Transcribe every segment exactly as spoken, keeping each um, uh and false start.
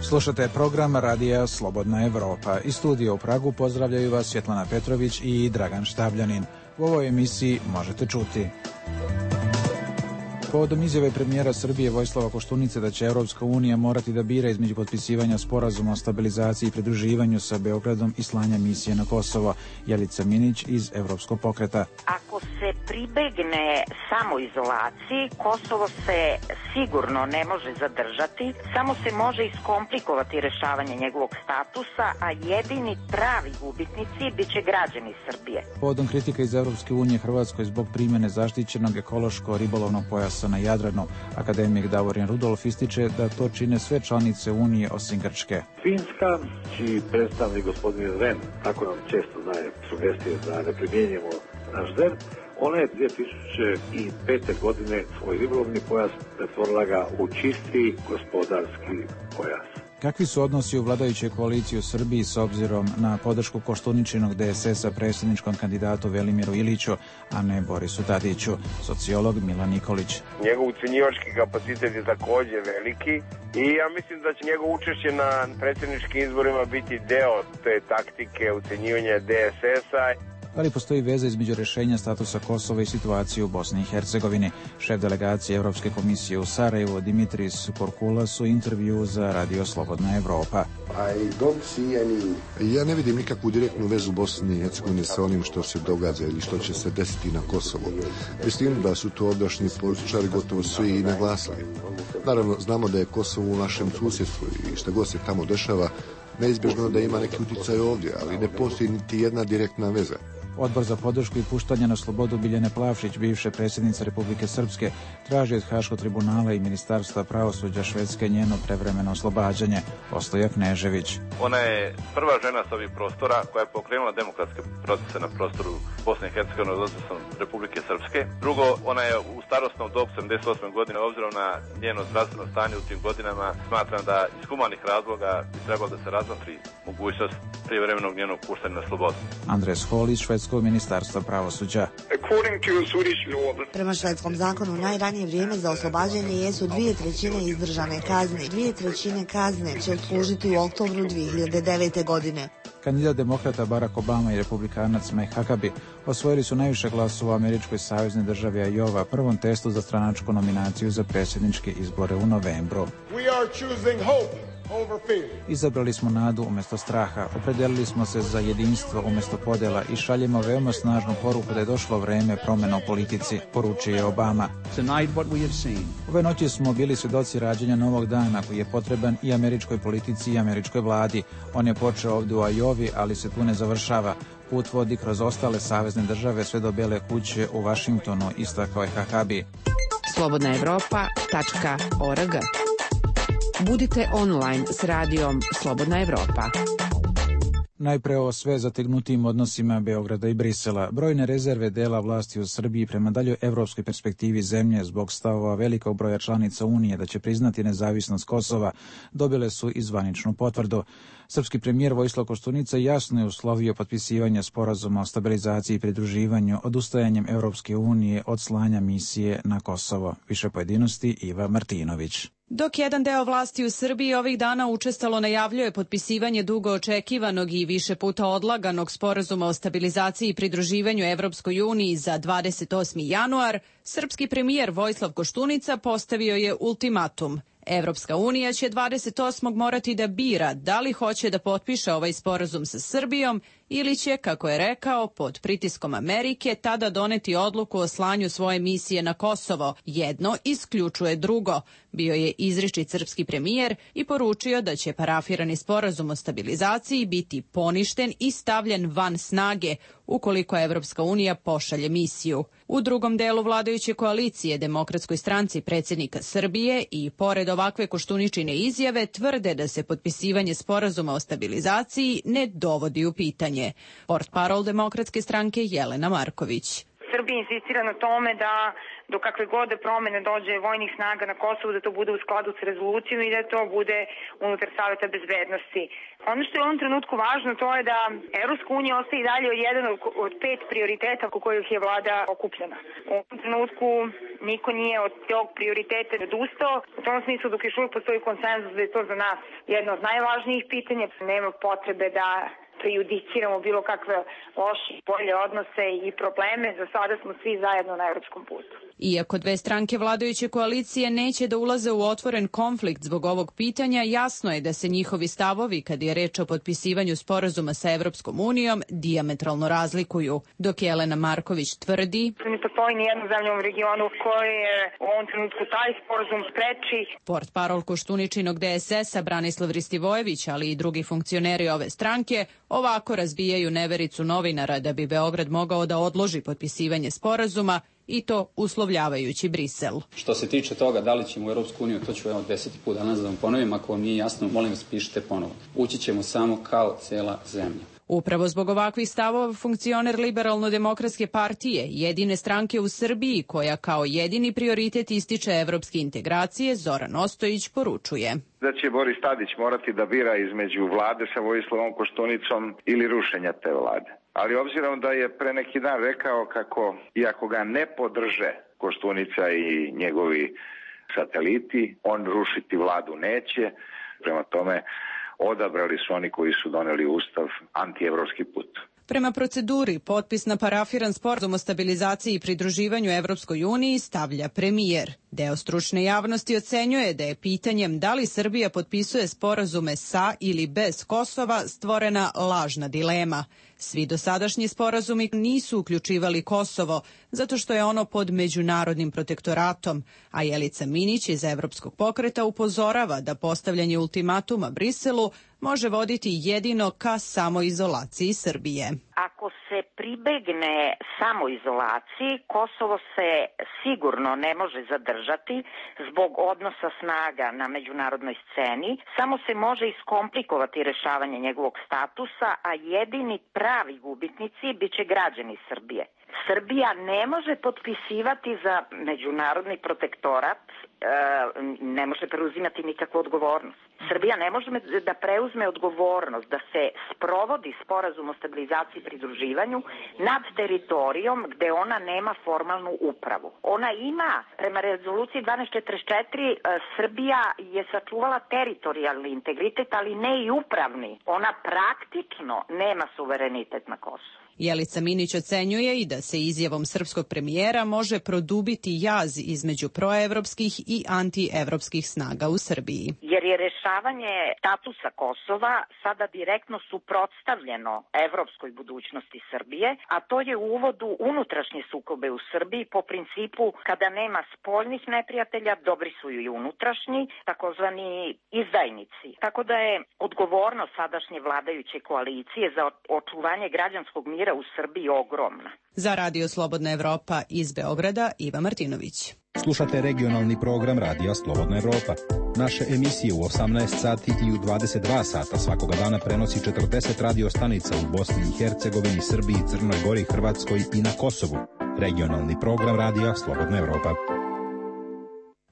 Slušate program Radija Slobodna Evropa. Iz studija u Pragu pozdravljaju vas Svjetlana Petrović i Dragan Štabljanin. U ovoj emisiji možete čuti: povodom izjave premijera Srbije Vojislava Koštunice da će Evropska unija morati da bira između potpisivanja sporazuma o stabilizaciji i pridruživanju sa Beogradom i slanja misije na Kosovo, Jelica Minić iz Evropskog pokreta. Ako se pribegne samoizolaciji, Kosovo se sigurno ne može zadržati, samo se može iskomplikovati rešavanje njegovog statusa, a jedini pravi gubitnici biće građani Srbije. Povodom kritika iz Evropske unije Hrvatskoj zbog primjene zaštićenog ekološko-ribolovnog pojasa na Jadranu, akademik Davorin Rudolf ističe da to čine sve članice Unije osim Grčke. Finska, čiji predstavnik gospodin Ren, tako nam često daje sugestije da ne primjenjujemo naš Z E R P, ona je dvije tisuće pete. godine svoj ribolovni pojas pretvorila ga u čisti gospodarski pojas. Kakvi su odnosi u vladajućoj koaliciji u Srbiji s obzirom na podršku Koštuničinog D S S-a predsjedničkom kandidatu Velimiru Iliću, a ne Borisu Tadiću? Sociolog Milan Nikolić. Njegov ucenjivački kapacitet je također veliki i ja mislim da će njegov učešće na predsjedničkim izborima biti deo te taktike ucenjivanja D S S-a. Da li postoji veza između rješenja statusa Kosova i situacije u Bosni i Hercegovini? Šef delegacije Evropske komisije u Sarajevu Dimitris Korkulas u intervju za Radio Slobodna Evropa. Ja ne vidim nikakvu direktnu vezu Bosne i Hercegovine sa onim što se događa ili što će se desiti na Kosovu. Mislim da su to ovdašnji političari gotovo svi i naglasili. Naravno, znamo da je Kosovo u našem susjedstvu i što god se tamo dešava, neizbježno da ima neki utjecaj ovdje, ali ne postoji niti jedna direktna veza. Odbor za podršku i puštanje na slobodu Biljane Plavšić, bivše predsjednice Republike Srpske, traži od Haškog tribunala i Ministarstva pravosuđa Švedske njeno prevremeno oslobađanje. Ostoja Knežević. Ona je prva žena s ovih prostora koja je pokrenula demokratske procese na prostoru Bosne i Hercegovine, odnosno Republike Srpske. Drugo, ona je u starosnom dobu sedamdeset osme godine, obzirom na njeno zdravstveno stanje u tim godinama, smatram da iz humanih razloga bi trebalo da se razmotri mogućnost privremenog njenog puštanja na slobodu. Andres Hol iz Švedskog ministarstva pravosuđa. Prema švedskom zakonu najranije vrijeme za oslobađanje jesu dvije trećine izdržane kazne. Dvije trećine kazne će odslužiti u oktobru dvije hiljade devete. godine. Kandidat demokrata Barack Obama i republikanac Mike Huckabee osvojili su najviše glasova u američkoj saveznoj državi Iowa, prvom testu za stranačku nominaciju za predsjedničke izbore u novembru. Izabrali smo nadu umjesto straha, opredelili smo se za jedinstvo umjesto podjela i šaljemo veoma snažnu poruku da je došlo vrijeme promjena u politici, poručio je Obama. Ove noći smo bili svjedoci rađanja novog dana koji je potreban i američkoj politici i američkoj vladi. On je počeo ovdje u Iowi, ali se tu ne završava. Put vodi kroz ostale savezne države sve do Bele kuće u Vašingtonu, istakao je Huckabee. slobodna evropa tačka org. Budite online s radijom Slobodna Evropa. Najpre o sve zategnutim odnosima Beograda i Brisela. Brojne rezerve dela vlasti u Srbiji prema daljoj evropskoj perspektivi zemlje zbog stavova velikog broja članica Unije da će priznati nezavisnost Kosova dobile su i zvaničnu potvrdu. Srpski premijer Vojislav Koštunica jasno je uslovio potpisivanje sporazuma o stabilizaciji i pridruživanju odustajanjem Evropske unije od slanja misije na Kosovo. Više pojedinosti Iva Martinović. Dok jedan deo vlasti u Srbiji ovih dana učestalo najavljuje potpisivanje dugo očekivanog i više puta odlaganog sporazuma o stabilizaciji i pridruživanju Evropskoj uniji za dvadeset osmi januar, srpski premijer Vojislav Koštunica postavio je ultimatum. Evropska unija će dvadeset osmog morati da bira da li hoće da potpiše ovaj sporazum sa Srbijom ili će, kako je rekao, pod pritiskom Amerike tada doneti odluku o slanju svoje misije na Kosovo. Jedno isključuje drugo, bio je izričit srpski premijer i poručio da će parafirani sporazum o stabilizaciji biti poništen i stavljen van snage ukoliko Evropska unija pošalje misiju. U drugom delu vladajuće koalicije Demokratskoj stranci predsjednika Srbije i pored ovakve Koštuničine izjave tvrde da se potpisivanje sporazuma o stabilizaciji ne dovodi u pitanje. Portparol Demokratske stranke Jelena Marković. Srbija insistira na tome da do kakve god promene dođe vojnih snaga na Kosovu, da to bude u skladu s rezolucijom i da to bude unutar Saveta bezbednosti. Ono što je u ovom trenutku važno, to je da Evropska unija ostaje i dalje jedan od pet prioriteta oko kojih je vlada okupljena. U ovom trenutku niko nije od tog prioriteta odustao. U tom smislu, dok još uvijek postoji konsenzus da je to za nas jedno od najvažnijih pitanja, nema potrebe da prejudiciramo bilo kakve loše bolje odnose i probleme. Za sada smo svi zajedno na evropskom putu. Iako dve stranke vladajuće koalicije neće da ulaze u otvoren konflikt zbog ovog pitanja, jasno je da se njihovi stavovi, kad je reč o potpisivanju sporazuma sa Evropskom unijom, dijametralno razlikuju. Dok Jelena Marković tvrdi: ne postoji ni jednu zemlju u regionu koje je u ovom trenutku taj sporazum spreči. Portparol Koštuničinog D S S-a Branislav Ristivojević, ali i drugi funkcioneri ove stranke, ovako razbijaju nevericu novinara da bi Beograd mogao da odloži potpisivanje sporazuma, i to uslovljavajući Brisel. Što se tiče toga da li ćemo u Europsku uniju, to ću evo deseti put danas da vam ponovim, ako vam nije jasno, molim vas pišite ponovo. Ući ćemo samo kao cela zemlja. Upravo zbog ovakvih stavova funkcioner Liberalno-demokratske partije, jedine stranke u Srbiji koja kao jedini prioritet ističe evropske integracije, Zoran Ostojić poručuje da će Boris Tadić morati da bira između vlade sa Vojislavom Koštunicom ili rušenja te vlade. Ali obzirom da je pre neki dan rekao kako, iako ga ne podrže Koštunica i njegovi sateliti, on rušiti vladu neće. Prema tome, odabrali su oni koji su doneli ustav antievropski put. Prema proceduri, potpis na parafiran sporazum o stabilizaciji i pridruživanju Evropskoj uniji stavlja premijer. Deo stručne javnosti ocenjuje da je pitanjem da li Srbija potpisuje sporazume sa ili bez Kosova stvorena lažna dilema. Svi dosadašnji sporazumi nisu uključivali Kosovo, zato što je ono pod međunarodnim protektoratom, a Jelica Minić iz Evropskog pokreta upozorava da postavljanje ultimatuma Briselu može voditi jedino ka samoizolaciji Srbije. Ako se pribegne samoizolaciji, Kosovo se sigurno ne može zadržati zbog odnosa snaga na međunarodnoj sceni, samo se može iskomplikovati rešavanje njegovog statusa, a jedini pravi gubitnici biće građani Srbije. Srbija ne može potpisivati za međunarodni protektorat, ne može preuzimati nikakvu odgovornost. Srbija ne može da preuzme odgovornost da se sprovodi sporazum o stabilizaciji i pridruživanju nad teritorijom gde ona nema formalnu upravu. Ona ima, prema rezoluciji dvanaest četrdeset četiri, Srbija je sačuvala teritorijalni integritet, ali ne i upravni. Ona praktično nema suverenitet na Kosovu. Jelica Minić ocenjuje i da se izjavom srpskog premijera može produbiti jaz između proevropskih i antievropskih snaga u Srbiji. Jer je rešavanje statusa Kosova sada direktno suprotstavljeno evropskoj budućnosti Srbije, a to je u uvodu unutrašnje sukobe u Srbiji po principu kada nema spoljnih neprijatelja, dobri su i unutrašnji, takozvani izdajnici. Tako da je odgovornost sadašnje vladajuće koalicije za očuvanje građanskog mira u Srbiji ogromna. Za Radio Slobodna Evropa iz Beograda, Iva Martinović. Slušate regionalni program Radija Slobodna Evropa. Naše emisije u osamnaest sati i u dvadeset dva sata svakoga dana prenosi četrdeset radio stanica u Bosni i Hercegovini, Srbiji, Crnoj Gori, Hrvatskoj i na Kosovu. Regionalni program Radija Slobodna Evropa.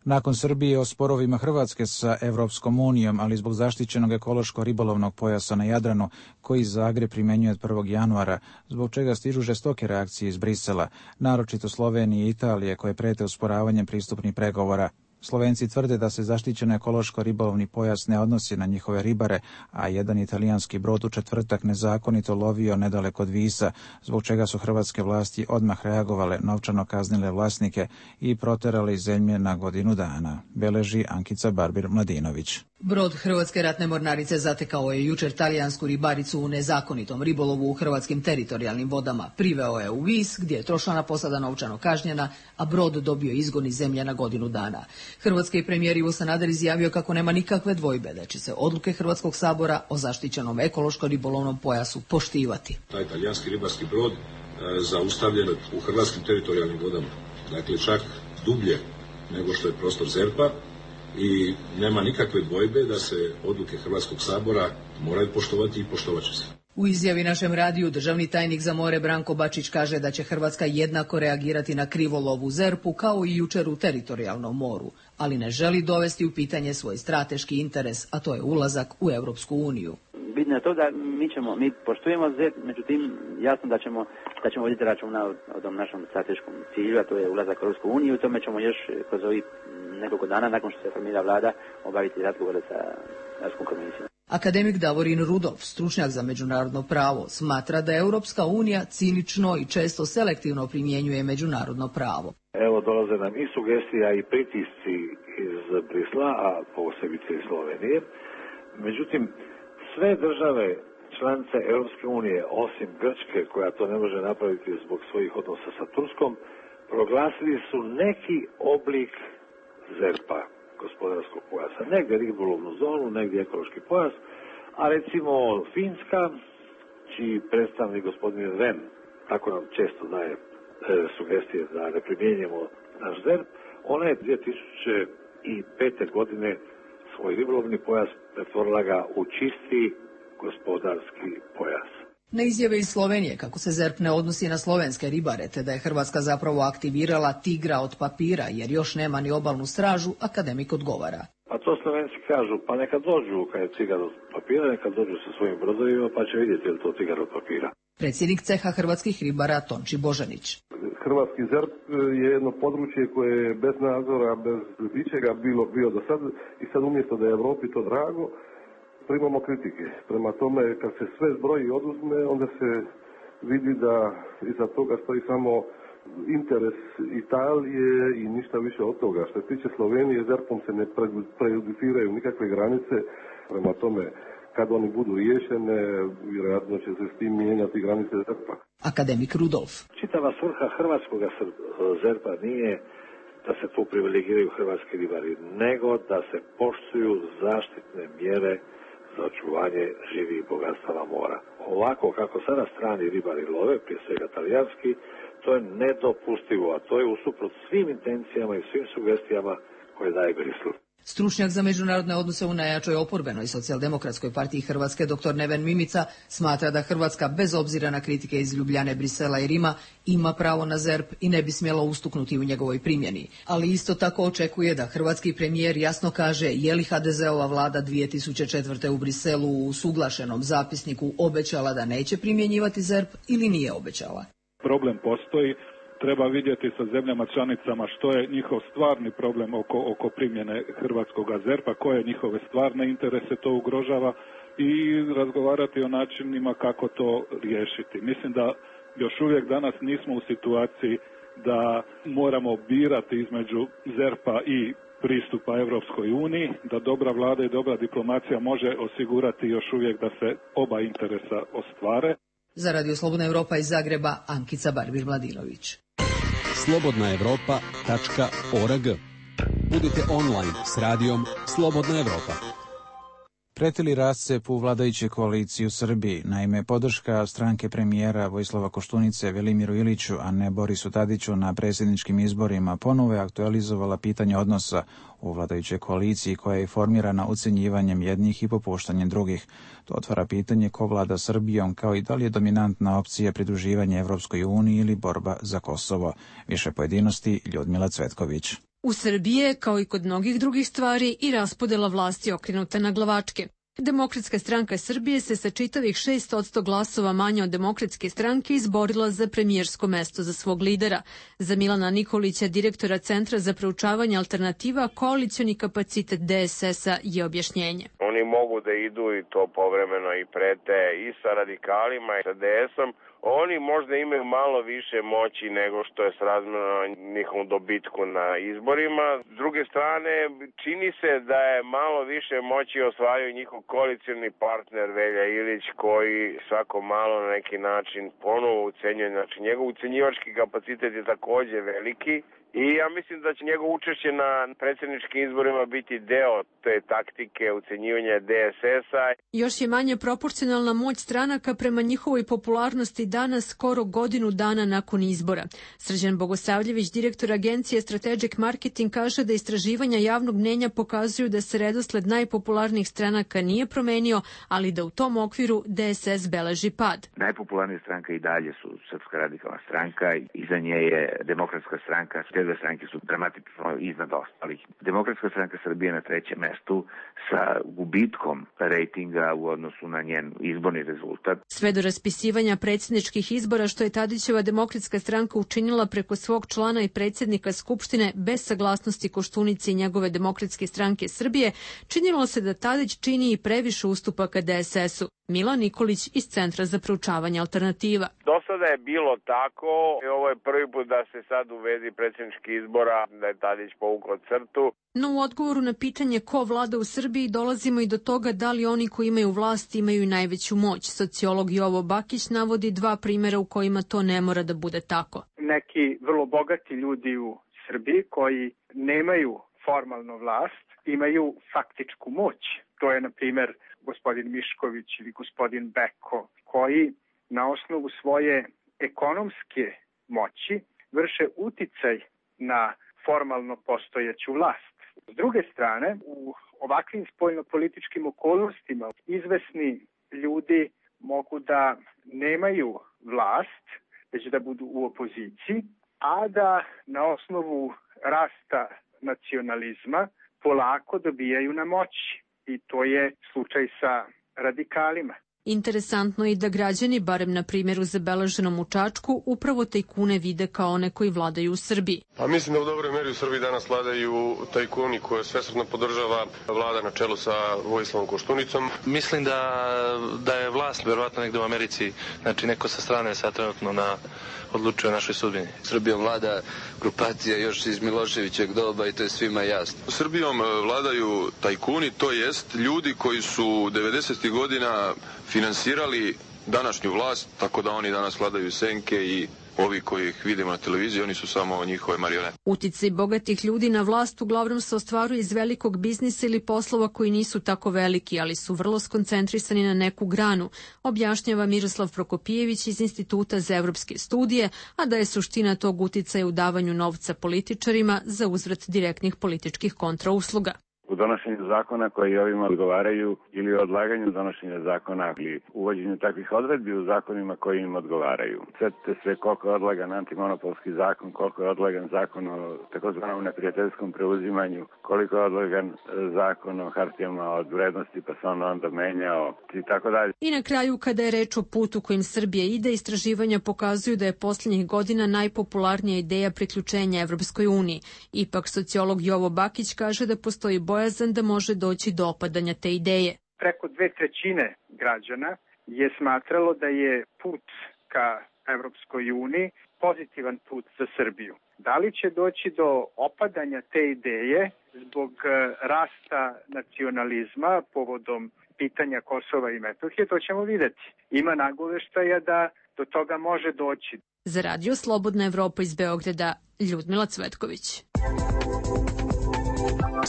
Nakon Srbije o sporovima Hrvatske sa Evropskom unijom, ali zbog zaštićenog ekološko-ribolovnog pojasa na Jadranu, koji Zagreb primenjuje od prvog januara, zbog čega stižu žestoke reakcije iz Brisela, naročito Slovenije i Italije, koje prete usporavanjem pristupnih pregovora. Slovenci tvrde da se zaštićen ekološko-ribolovni pojas ne odnosi na njihove ribare, a jedan italijanski brod u četvrtak nezakonito lovio nedaleko od Visa, zbog čega su hrvatske vlasti odmah reagovale, novčano kaznile vlasnike i proterali iz zemlje na godinu dana, beleži Ankica Barbir-Mladinović. Brod Hrvatske ratne mornarice zatekao je jučer talijansku ribaricu u nezakonitom ribolovu u hrvatskim teritorijalnim vodama. Priveo je u Vis, gdje je tročlana posada novčano kažnjena, a brod dobio izgon iz zemlje na godinu dana. Hrvatski premijer Ivo Sanader izjavio kako nema nikakve dvojbe da će se odluke Hrvatskog sabora o zaštićenom ekološko-ribolovnom pojasu poštivati. Taj talijanski ribarski brod e, zaustavljen u hrvatskim teritorijalnim vodama, dakle čak dublje nego što je prostor ZERP-a, i nema nikakve dvojbe da se odluke Hrvatskog sabora moraju poštovati i poštovat će se. U izjavi našem radiju državni tajnik za more Branko Bačić kaže da će Hrvatska jednako reagirati na krivolov u ZERP-u kao i jučer u teritorijalnom moru, ali ne želi dovesti u pitanje svoj strateški interes, a to je ulazak u Europsku uniju. bitno je to da mi ćemo, mi poštujemo ZERP, međutim jasno da ćemo, da ćemo voditi računa o, o tom našem strateškom cilju, a to je ulazak u Europsku uniju, i tome ćemo još kroz ovih nekoliko dana nakon što se formira vlada obaviti razgovore sa Europskom komisijom. Akademik Davorin Rudolf, stručnjak za međunarodno pravo, smatra da Europska unija cinično i često selektivno primjenjuje međunarodno pravo. Evo dolaze nam i sugestija i pritisci iz Brisla, a posebice iz Slovenije. Međutim, sve države članice Europske unije, osim Grčke, koja to ne može napraviti zbog svojih odnosa sa Turskom, proglasili su neki oblik ZERP-a, gospodarskog pojasa. Negdje ribolovnu zonu, negdje ekološki pojas, a recimo Finska, čiji predstavnik gospodin Ren, tako nam često daje e, sugestije da ne primjenjujemo naš ZERP, ona je dvije tisuće pete godine svoj ribolovni pojas pretvorila ga u čisti gospodarski pojas. Na izjave iz Slovenije kako se ZERP ne odnosi na slovenske ribare, te da je Hrvatska zapravo aktivirala tigra od papira jer još nema ni obalnu stražu, akademik odgovara. A to Slovenci kažu, pa neka dođu kad je tigar od papira, neka dođu sa svojim brodovima pa će vidjeti je li to tigar od papira. Predsjednik ceha hrvatskih ribara Tonči Božanić. Hrvatski ZERP je jedno područje koje je bez nadzora, bez ičega bilo bio do sad, i sad umjesto da je Europi to drago, primamo kritike. Prema tome, kad se sve zbroji i oduzme, onda se vidi da iza toga stoji samo interes Italije i ništa više od toga. Što se tiče Slovenije, ZERP-om se ne prejudiciraju nikakve granice, prema tome, kad oni budu riješene, vjerojatno će se s tim mijenjati granice ZERP-a. Akademik Rudolf. Čitava svrha hrvatskog ZERP-a nije da se tu privilegiraju hrvatski ribari, nego da se poštuju zaštitne mjere za očuvanje živih bogatstava mora. Ovako kako sada strani ribari love, prije svega talijanski, to je nedopustivo, a to je usuprot svim intencijama i svim sugestijama koje daje Brisel. Stručnjak za međunarodne odnose u najjačoj oporbenoj socijaldemokratskoj partiji Hrvatske, dr Neven Mimica, smatra da Hrvatska, bez obzira na kritike iz Ljubljane, Brisela i Rima, ima pravo na ZERP i ne bi smjela ustuknuti u njegovoj primjeni. Ali isto tako očekuje da hrvatski premijer jasno kaže je li ha de zeova vlada dvije tisuće četvrte u Briselu u usuglašenom zapisniku obećala da neće primjenjivati ZERP ili nije obećala. Problem postoji. Treba vidjeti sa zemljama članicama što je njihov stvarni problem oko, oko primjene hrvatskog ZERP-a, koje njihove stvarne interese to ugrožava i razgovarati o načinima kako to riješiti. Mislim da još uvijek danas nismo u situaciji da moramo birati između ZERP-a i pristupa Europskoj uniji, da dobra vlada i dobra diplomacija može osigurati još uvijek da se oba interesa ostvare. Za Radio Slobodna Europa iz Zagreba, Ankica Barbir-Mladinović. slobodna europa tačka org. Budite online s radijom Slobodna Europa. Pretili rascep u vladajućoj koaliciji u Srbiji. Naime, podrška stranke premijera Vojislava Koštunice Velimiru Iliću, a ne Borisu Tadiću na predsjedničkim izborima ponovo je aktualizovala pitanje odnosa u vladajućoj koaliciji koja je formirana ucenjivanjem jednih i popuštanjem drugih. To otvara pitanje ko vlada Srbijom, kao i da li je dominantna opcija pridruživanje Evropskoj uniji ili borba za Kosovo. Više pojedinosti Ljudmila Cvetković. U Srbiji je, kao i kod mnogih drugih stvari, i raspodela vlasti okrenuta na glavačke. Demokratska stranka Srbije se sa čitavih šest posto glasova manje od Demokratske stranke izborila za premijersko mesto za svog lidera. Za Milana Nikolića, direktora Centra za proučavanje alternativa, koalicioni kapacitet D S S-a je objašnjenje. Oni mogu da idu i to povremeno i prete i sa radikalima i sa D S-om. Oni možda imaju malo više moći nego što je srazmjerno njihovom dobitku na izborima. S druge strane, čini se da je malo više moći osvajaju njihov koalicioni partner Velja Ilić, koji svako malo na neki način ponovo ucenjuje. Znači, njegov ucenjivački kapacitet je također veliki. I ja mislim da će njegovo učešće na predsjedničkim izborima biti deo te taktike ucenjivanja D S S-a. Još je manje proporcionalna moć stranaka prema njihovoj popularnosti danas, skoro godinu dana nakon izbora. Srđan Bogosavljević, direktor agencije Strategic Marketing, kaže da istraživanja javnog mnjenja pokazuju da se redosled najpopularnijih stranaka nije promenio, ali da u tom okviru D S S beleži pad. Najpopularnija stranka i dalje su Srpska radikalna stranka, iza nje je Demokratska stranka. Te dve stranke su dramatično iznad ostalih. Demokratska stranka Srbije na trećem mestu sa gubitkom rejtinga u odnosu na njen izborni rezultat. Sve do raspisivanja predsjedničkih izbora što je Tadićeva Demokratska stranka učinila preko svog člana i predsjednika Skupštine bez saglasnosti Koštunice i njegove Demokratske stranke Srbije, činilo se da Tadić čini i previše ustupaka D S S-u. Milan Nikolić iz Centra za proučavanje alternativa. Do sada je bilo tako i ovo je prvi put da se sad uvedi predsjednički izbora, da je Tadić povukao crtu. No u odgovoru na pitanje ko vlada u Srbiji dolazimo i do toga da li oni koji imaju vlast imaju i najveću moć. Sociolog Jovo Bakić navodi dva primjera u kojima to ne mora da bude tako. Neki vrlo bogati ljudi u Srbiji koji nemaju formalno vlast, imaju faktičku moć. To je, na primjer, gospodin Mišković ili gospodin Beko, koji na osnovu svoje ekonomske moći vrše uticaj na formalno postojeću vlast. S druge strane, u ovakvim spoljnopolitičkim okolnostima izvesni ljudi mogu da nemaju vlast, već da budu u opoziciji, a da na osnovu rasta nacionalizma polako dobijaju na moći. I to je slučaj sa radikalima. Interesantno je da građani, barem na primjeru zabeleženom u Čačku, upravo tajkune vide kao one koji vladaju u Srbiji. Pa mislim da u dobroj meri u Srbiji danas vladaju tajkuni koje svesrdno podržava vlada na čelu sa Vojislavom Koštunicom. Mislim da, da je vlast verovatno negde u Americi, znači neko sa strane sad trenutno na odlučuje o našoj sudbini. Srbijom vlada grupacija još iz Miloševićeg doba i to je svima jasno. Srbijom vladaju tajkuni, to jest ljudi koji su devedesetih godina finansirali današnju vlast, tako da oni danas vladaju senke i ovi koji ih vidimo na televiziji, oni su samo njihove marionete. Uticaj bogatih ljudi na vlast uglavnom se ostvaruje iz velikog biznisa ili poslova koji nisu tako veliki, ali su vrlo skoncentrisani na neku granu, objašnjava Miroslav Prokopijević iz Instituta za evropske studije, a da je suština tog uticaja u davanju novca političarima za uzvrat direktnih političkih kontrausluga. U donošenju zakona koji ovima odgovaraju ili odlaganju donošenja zakona ili uvođenju takvih odredbi u zakonima koji im odgovaraju. Sjetite se koliko je odlagan antimonopolski zakon, koliko je odlagan zakon o takozvanom neprijateljskom preuzimanju, koliko je odlagan zakon o hartijama od vrednosti pa se on onda menjao i tako dalje. I na kraju, kada je reč o putu kojim Srbija ide, istraživanja pokazuju da je posljednjih godina najpopularnija ideja priključenja Evropskoj uniji. Ipak sociolog Jovo Bakić kaže da postoji bojazan da može doći do opadanja te ideje. Preko dve trećine građana je smatralo da je put ka Evropskoj uniji pozitivan put za Srbiju. Da li će doći do opadanja te ideje zbog rasta nacionalizma povodom pitanja Kosova i Metohije, to ćemo vidjeti. Ima nagoveštaja da do toga može doći. Za Radio Slobodna Evropa iz Beograda, Ljudmila Cvetković.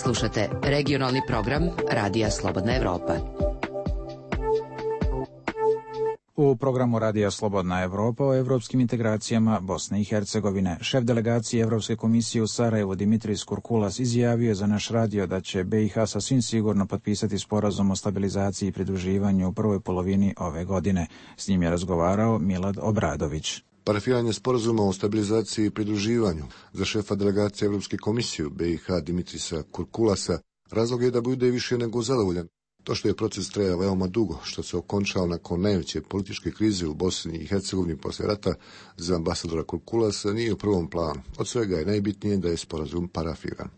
Slušate regionalni program Radija Slobodna Evropa. U programu Radija Slobodna Evropa o evropskim integracijama Bosne i Hercegovine, šef delegacije Evropske komisije u Sarajevu Dimitris Kurkulas izjavio je za naš radio da će B i H sasvim sigurno potpisati sporazum o stabilizaciji i pridruživanju u prvoj polovini ove godine. S njim je razgovarao Milad Obradović. Parafiranje sporazuma o stabilizaciji i pridruživanju za šefa delegacije Evropske komisije u B i H Dimitrisa Kurkulasa razlog je da bude više nego zadovoljan. To što je proces trajao veoma dugo, što se okončao nakon najveće političke krize u Bosni i Hercegovini posle rata, za ambasadora Kurkulasa nije u prvom planu. Od svega je najbitnije da je sporazum parafiran.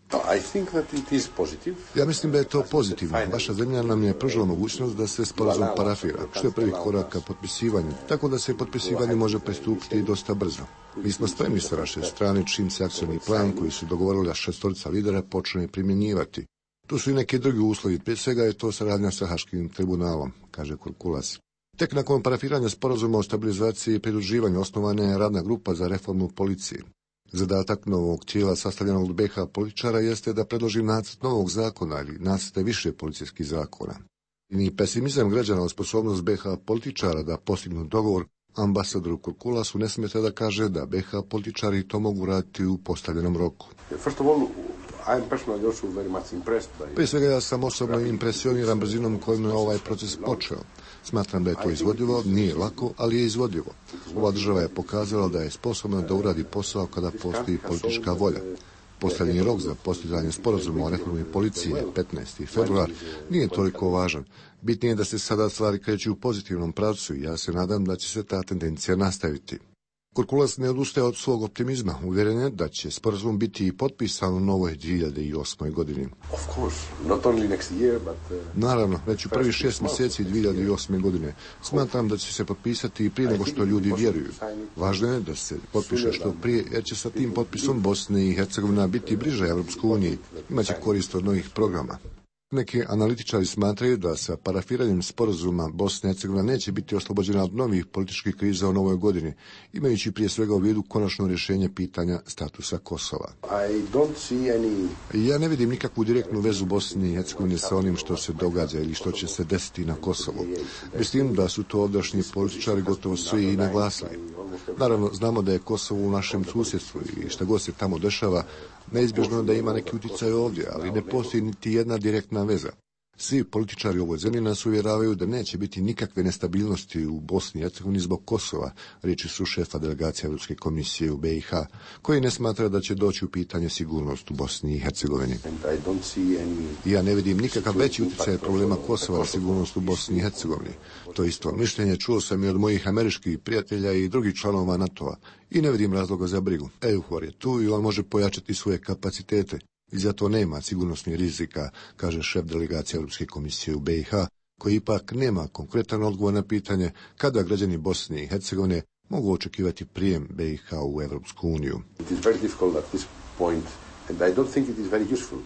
Ja mislim da je to pozitivno. Vaša zemlja nam je pružila mogućnost da se sporazum parafira, što je prvi korak ka potpisivanju, tako da se potpisivanju može pristupiti dosta brzo. Mi smo spremni sa vaše strane čim se akcioni plan koji su dogovorili šestorica lidera počne primjenjivati. Tu su i neki drugi uslovi, prije svega je to saradnja sa Haškim tribunalom, kaže Kurkulas. Tek nakon parafiranja sporazuma o stabilizaciji i pridruživanju osnovana je radna grupa za reformu policije. Zadatak novog tijela sastavljenog od B H političara jeste da predloži nacrt novog zakona ili nacrte više policijskih zakona. Ni pesimizam građana o sposobnost B H političara da postignu dogovor ambasadoru Kurkulasu ne smeta da kaže da B H političari to mogu raditi u postavljenom roku. Prije svega ja sam osobno impresioniran brzinom kojom je ovaj proces počeo. Smatram da je to izvodljivo, nije lako, ali je izvodljivo. Ova država je pokazala da je sposobna da uradi posao kada postoji politička volja. Posljednji rok za postizanje sporazuma o reformi policije, petnaesti februar, nije toliko važan. Bitnije je da se sada stvari kreću u pozitivnom pravcu i ja se nadam da će se ta tendencija nastaviti. Kurkulas ne odustaje od svog optimizma, uvjeren je da će sporazum biti i potpisan u novoj dvije hiljade osmoj godini. Naravno, već u prvih šest mjeseci dvije hiljade osme godine smatram da će se potpisati i prije nego što ljudi vjeruju. Važno je da se potpiše što prije, jer će sa tim potpisom Bosne i Hercegovina biti bliže Evropskoj uniji, imaće korist od novih programa. Neki analitičari smatraju da sa parafiranjem sporazuma Bosna i Hercegovina neće biti oslobođena od novih političkih kriza u novoj godini, imajući prije svega u vidu konačno rješenje pitanja statusa Kosova. Ja ne vidim nikakvu direktnu vezu Bosne i Hercegovine sa onim što se događa ili što će se desiti na Kosovu. Mislim da su to ovdašnji političari gotovo svi i naglasili. Naravno, znamo da je Kosovo u našem susjedstvu i šta god se tamo dešava, neizbježno je da ima neki utjecaj ovdje, ali ne postoji niti jedna direktna veza. Svi političari u ovoj zemlji nas uvjeravaju da neće biti nikakve nestabilnosti u Bosni i Hercegovini zbog Kosova, riječi su šefa delegacije Europske komisije u B i H, koji ne smatra da će doći u pitanje sigurnost u Bosni i Hercegovini. Ja ne vidim nikakav veći utjecaj problema Kosova na sigurnost u Bosni i Hercegovini. To isto mišljenje čuo sam i od mojih američkih prijatelja i drugih članova NATO-a i ne vidim razloga za brigu. EUFOR je tu i on može pojačati svoje kapacitete. I zato nema sigurnosnih rizika, kaže šef delegacije Europske komisije u B i H, koji ipak nema konkretan odgovor na pitanje kada građani Bosne i Hercegovine mogu očekivati prijem B i H u Europsku uniju.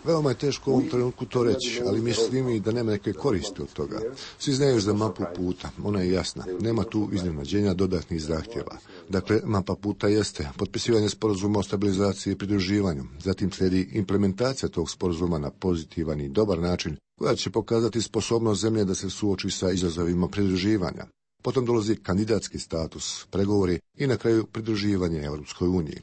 Veoma je teško u ovom trenutku to reći, ali mislim i da nema neke koristi od toga. Svi znaju za mapu puta, ona je jasna, nema tu iznenađenja dodatnih zahtjeva. Dakle, mapa puta jeste potpisivanje sporazuma o stabilizaciji i pridruživanju, zatim slijedi implementacija tog sporazuma na pozitivan i dobar način, koja će pokazati sposobnost zemlje da se suoči sa izazovima pridruživanja. Potom dolazi kandidatski status, pregovori i na kraju pridruživanje Europskoj uniji.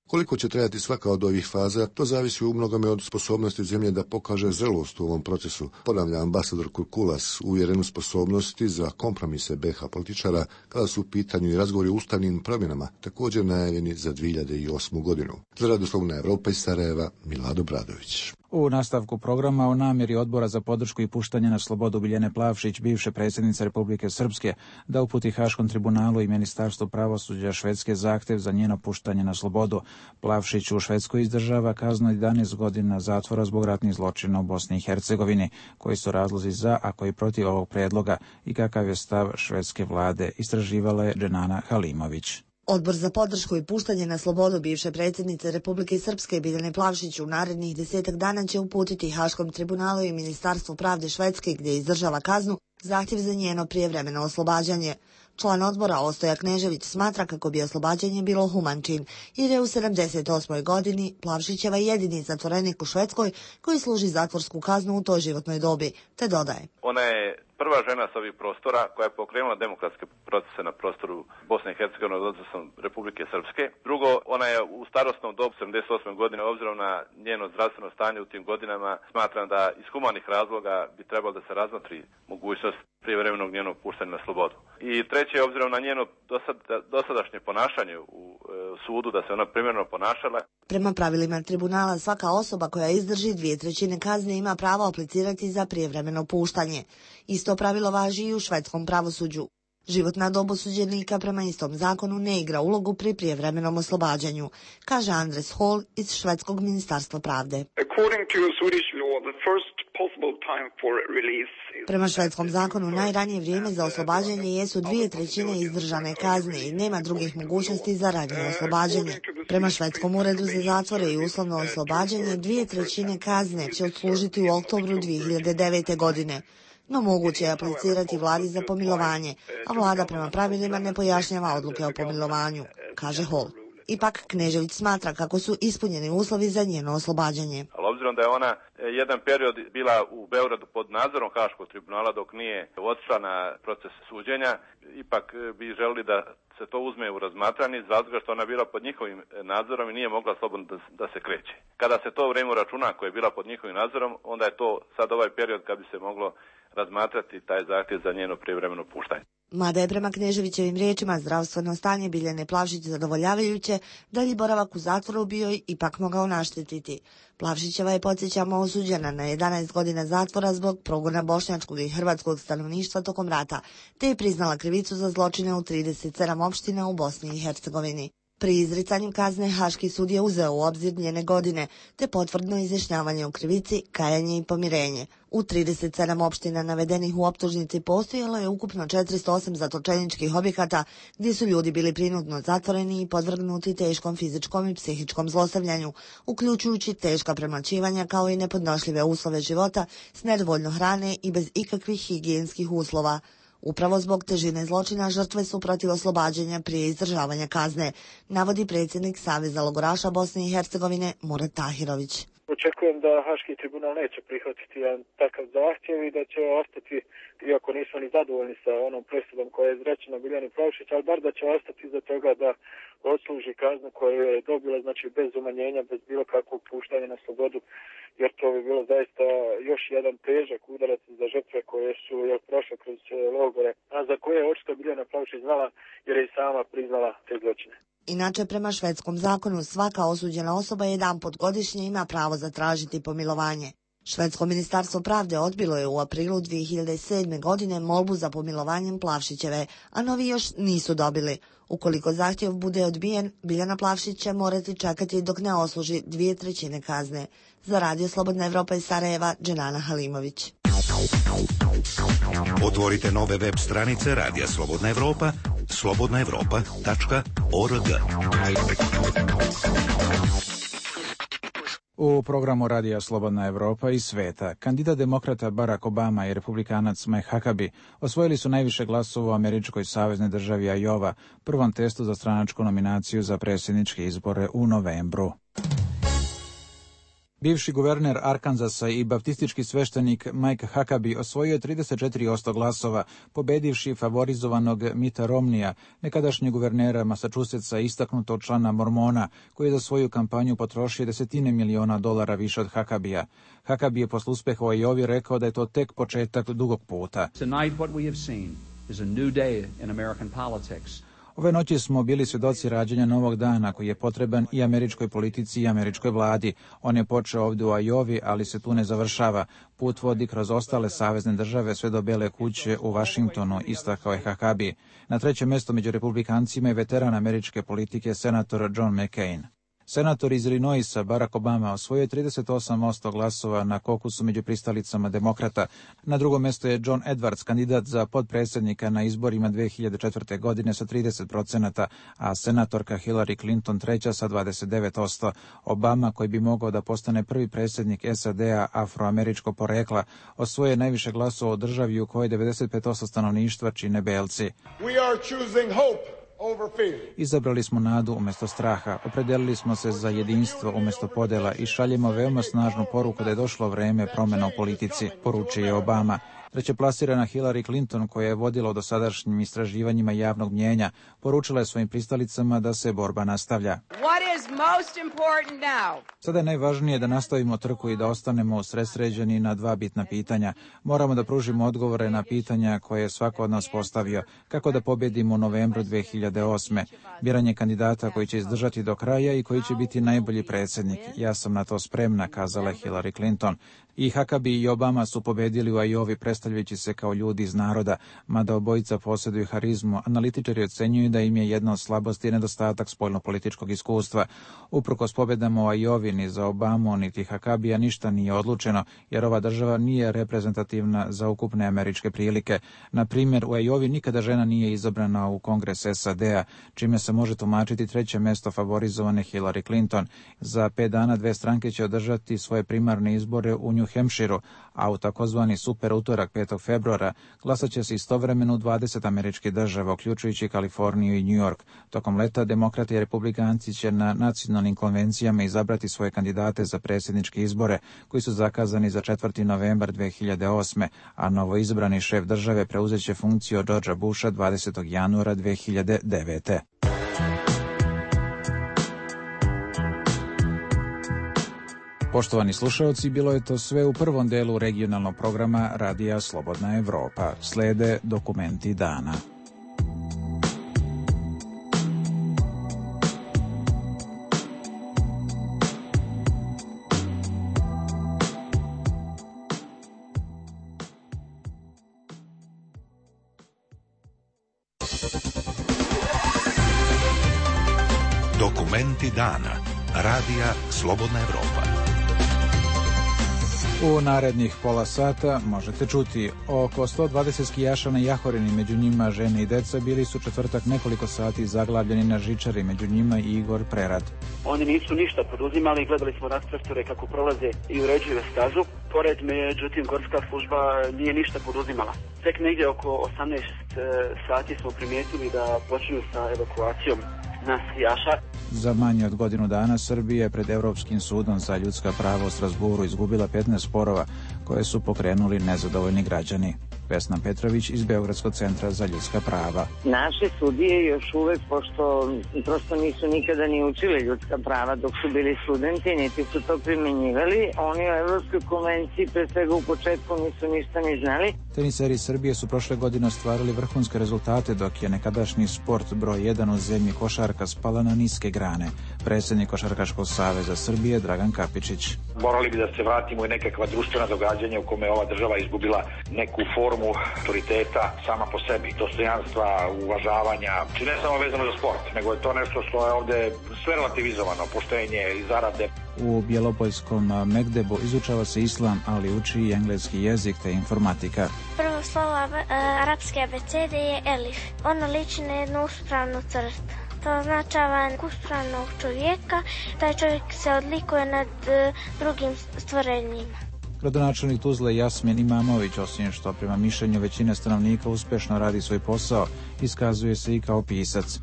Koliko će trajati svaka od ovih faza, to zavisi u mnogome od sposobnosti zemlje da pokaže zrelost u ovom procesu, ponavlja ambasador Kurkulas, uvjeren u sposobnosti za kompromise B i H političara kada su u pitanju i razgovori o ustavnim promjenama, također najavljeni za dvije hiljade osmu godinu. Za Radio Slobodna Evropa iz Sarajeva, Milado Bradović. U nastavku programa o namjeri Odbora za podršku i puštanje na slobodu Biljane Plavšić, bivše predsjednice Republike Srpske, da uputi Haškom tribunalu i Ministarstvu pravosuđa Švedske zahtjev za njeno puštanje na slobodu. Plavšić u Švedskoj izdržava kaznu jedanaest godina zatvora zbog ratnih zločina u Bosni i Hercegovini. Koji su razlozi za, a koji protiv ovog prijedloga i kakav je stav švedske vlade, istraživala je Dženana Halimović. Odbor za podršku i puštanje na slobodu bivše predsjednice Republike Srpske Biljane Plavšić u narednih desetak dana će uputiti Haškom tribunalu i Ministarstvu pravde Švedske, gdje izdržava kaznu, zahtjev za njeno prijevremeno oslobađanje. Član odbora Ostoja Knežević smatra kako bi oslobađanje bilo human čin, jer je u sedamdeset osmoj godini Plavšićeva jedini zatvorenik u Švedskoj koji služi zatvorsku kaznu u toj životnoj dobi, te dodaje. Ona je prva žena s ovih prostora koja je pokrenula demokratske procese na prostoru Bosne i Hercegovine odnosno Republike Srpske. Drugo, ona je u starosnom dobu sedamdeset osme godine, obzirom na njeno zdravstveno stanje u tim godinama, smatram da iz humanih razloga bi trebalo da se razmotri mogućnost prijevremenog njenog puštanja na slobodu. I treće, obzirom na njeno dosad, dosadašnje ponašanje u e, sudu, da se ona primjerno ponašala. Prema pravilima tribunala, svaka osoba koja izdrži dvije trećine kazne ima pravo aplicirati za prijevremeno puštanje. Isto pravilo važi i u švedskom pravosuđu. Životna dob osuđenika prema istom zakonu ne igra ulogu pri prijevremenom oslobađanju, kaže Andres Hall iz švedskog ministarstva pravde. Prema švedskom zakonu najranije vrijeme za oslobađanje jesu dvije trećine izdržane kazne i nema drugih mogućnosti za ranije oslobađanje. Prema švedskom uredu za zatvore i uslovno oslobađanje dvije trećine kazne će odslužiti u oktobru dvije hiljade devete godine. No moguće je aplicirati vladi za pomilovanje, a vlada prema pravilima ne pojašnjava odluke o pomilovanju, kaže Hall. Ipak Knežević smatra kako su ispunjeni uslovi za njeno oslobađanje. Ali obzirom da je ona jedan period bila u Beogradu pod nadzorom Haškog tribunala dok nije otišla na proces suđenja, ipak bi želili da se to uzme u razmatranje iz razloga što ona bila pod njihovim nadzorom i nije mogla slobodno da, da se kreće. Kada se to vreme računa koje je bila pod njihovim nadzorom, onda je to sad ovaj period kad bi se moglo razmatrati taj zahtjev za njeno prijevremeno puštanje. Mada je prema Kneževićevim riječima zdravstveno stanje Biljane Plavšić zadovoljavajuće, dalji boravak u zatvoru bio je ipak mogao naštetiti. Plavšićeva je, podsjećamo, osuđena na jedanaest godina zatvora zbog progona bošnjačkog i hrvatskog stanovništva tokom rata, te je priznala krivicu za zločine u trideset sedam opština u Bosni i Hercegovini. Pri izricanju kazne Haški sud je uzeo u obzir njene godine, te potvrdno izjašnjavanje o krivici, kajanje i pomirenje. U trideset sedam opština navedenih u optužnici postojalo je ukupno četiristo osam zatočeničkih objekata gdje su ljudi bili prinudno zatvoreni i podvrgnuti teškom fizičkom i psihičkom zlostavljanju, uključujući teška premlaćivanja kao i nepodnošljive uslove života s nedovoljno hrane i bez ikakvih higijenskih uslova. Upravo zbog težine zločina žrtve su protiv oslobađanja prije izdržavanja kazne, navodi predsjednik Saveza logoraša Bosne i Hercegovine Murat Tahirović. Očekujem da Haški tribunal neće prihvatiti jedan takav zahtjev i da će ostati, iako nisu ni zadovoljni sa onom presudom koja je izrečena Biljani Plavšić, ali bar da će ostati za toga da odsluži kaznu koju je dobila, znači bez umanjenja, bez bilo kakvog puštanja na slobodu, jer to bi bilo zaista još jedan težak udarac za žrtve koje su jel, prošle kroz logore, a za koje je očito Biljana Plavšić znala jer je i sama priznala te zločine. Inače, prema švedskom zakonu, svaka osuđena osoba jedanput godišnje ima pravo zatražiti pomilovanje. Švedsko ministarstvo pravde odbilo je u aprilu dvije hiljade sedme. godine molbu za pomilovanjem Plavšićeve, a novi još nisu dobili. Ukoliko zahtjev bude odbijen, Biljana Plavšić će morati čekati dok ne osluži dvije trećine kazne. Za Radio Slobodna Evropa iz Sarajeva, Dženana Halimović. Otvorite nove web stranice Radija Slobodna Evropa, slobodna evropa tačka org. U programu Radija Slobodna Evropa i sveta, kandidat demokrata Barack Obama i republikanac Mike Huckabee osvojili su najviše glasova u američkoj saveznoj državi Iowa, prvom testu za stranačku nominaciju za predsjedničke izbore u novembru. Bivši guverner Arkansasa i baptistički sveštenik Mike Huckabee osvojio je trideset četiri posto glasova, pobedivši favorizovanog Mitta Romneya, nekadašnjeg guvernera Massachusettsa, istaknutog člana Mormona, koji je za svoju kampanju potrošio desetine miliona dolara više od Huckabea. Huckabee je posle uspeha u Iowi rekao da je to tek početak dugog puta. Tonight what we have seen is a new day in American politics. Ove noći smo bili svjedoci rađanja novog dana koji je potreban i američkoj politici i američkoj vladi. On je počeo ovdje u Iowi, ali se tu ne završava. Put vodi kroz ostale savezne države sve do Bele kuće u Washingtonu, istakao je Huckabee. Na trećem mjestu među republikancima je veteran američke politike senator John McCain. Senator iz Illinoisa Barack Obama osvojio je trideset osam posto glasova na kokusu među pristalicama demokrata. Na drugom mjestu je John Edwards, kandidat za potpredsjednika na izborima dvije hiljade četvrte. godine sa trideset posto, a senatorka Hillary Clinton treća sa dvadeset devet posto. Obama, koji bi mogao da postane prvi predsjednik S A D-a afroameričkog porekla, osvojio je najviše glasova u državi u kojoj devedeset pet posto stanovništva čine belci. We are choosing hope. Izabrali smo nadu umjesto straha, opredelili smo se za jedinstvo umjesto podjela i šaljemo veoma snažnu poruku da je došlo vrijeme promjena u politici, poručuje Obama. Trećeplasirana Hillary Clinton, koja je vodila u dosadašnjim istraživanjima javnog mnijenja, poručila je svojim pristalicama da se borba nastavlja. Sada je najvažnije da nastavimo trku i da ostanemo usredsređeni na dva bitna pitanja. Moramo da pružimo odgovore na pitanja koje je svako od nas postavio. Kako da pobjedimo u novembru dvije hiljade osme. Biranje kandidata koji će izdržati do kraja i koji će biti najbolji predsjednik. Ja sam na to spremna, kazala je Hillary Clinton. I Huckabee i Obama su pobedili u Iowi predstavljajući se kao ljudi iz naroda, mada obojica posjeduju harizmu. Analitičari ocenjuju da im je jedna od slabosti nedostatak spoljnopolitičkog iskustva. Uprkos pobjedama u Iowi ni za Obamu niti Huckabea ništa nije odlučeno, jer ova država nije reprezentativna za ukupne američke prilike. Na primjer, u Iowi nikada žena nije izabrana u Kongres S A D-a, čime se može tumačiti treće mjesto favorizovane Hillary Clinton. Za pet dana dve stranke će održati svoje primarne izbore u New New Hampshireu, a u takozvani super utorak petog februara glasat će se istovremeno u dvadeset američkih država, uključujući Kaliforniju i New York. Tokom leta demokrati i republikanci će na nacionalnim konvencijama izabrati svoje kandidate za predsjedničke izbore, koji su zakazani za četvrti novembar dve hiljade osme, a novoizabrani šef države preuzet će funkciju od Georgea Busha dvadesetog januara dve hiljade devete. Poštovani slušalci, bilo je to sve u prvom delu regionalnog programa Radija Slobodna Evropa. Slede dokumenti dana. Dokumenti dana. Radija Slobodna Evropa. U narednih pola sata možete čuti oko sto dvadeset skijaša na Jahorini, među njima žene i deca, bili su četvrtak nekoliko sati zaglavljeni na žičari, među njima i Igor Prerad. Oni nisu ništa poduzimali, gledali smo rastreftore kako prolaze i uređuju stazu. Pored, međutim, gorska služba nije ništa poduzimala. Tek negdje oko osamnaest sati smo primijetili da počinju sa evakuacijom nas skijaša. Za manje od godinu dana Srbija je pred Europskim sudom za ljudska prava u Strasburu izgubila petnaest sporova koje su pokrenuli nezadovoljni građani. Vesna Petrović iz Beogradskog centra za ljudska prava. Naše sudije još uvek, pošto prosto nisu nikada ni učili ljudska prava dok su bili studenti, niti su to primjenjivali, oni o Evropskoj konvenciji pre svega u početku nisu ništa ni znali. Teniseri Srbije su prošle godine ostvarili vrhunske rezultate, dok je nekadašnji sport broj jedan u zemlji košarka spala na niske grane. Predsjednik Košarkaškog saveza Srbije Dragan Kapičić. Morali bi da se vratimo i nekakva društvena događanja u kome ova država izgubila neku formu autoriteta sama po sebi, dostojanstva, uvažavanja, či ne samo vezano za sport, nego je to nešto što je ovde sve relativizovano, poštenje i zarade. U Bjelopoljskom Megdebu izučava se islam, ali uči i engleski jezik te informatika. Prvo slovo arapske abecede je elif. Ono liči na jednu uspravnu crtu. To označava uspravnog čovjeka. Taj čovjek se odlikuje nad drugim stvorenjima. Gradonačelnik Tuzle Jasmin Imamović, osim što prema mišljenju većine stanovnika uspješno radi svoj posao, iskazuje se i kao pisac.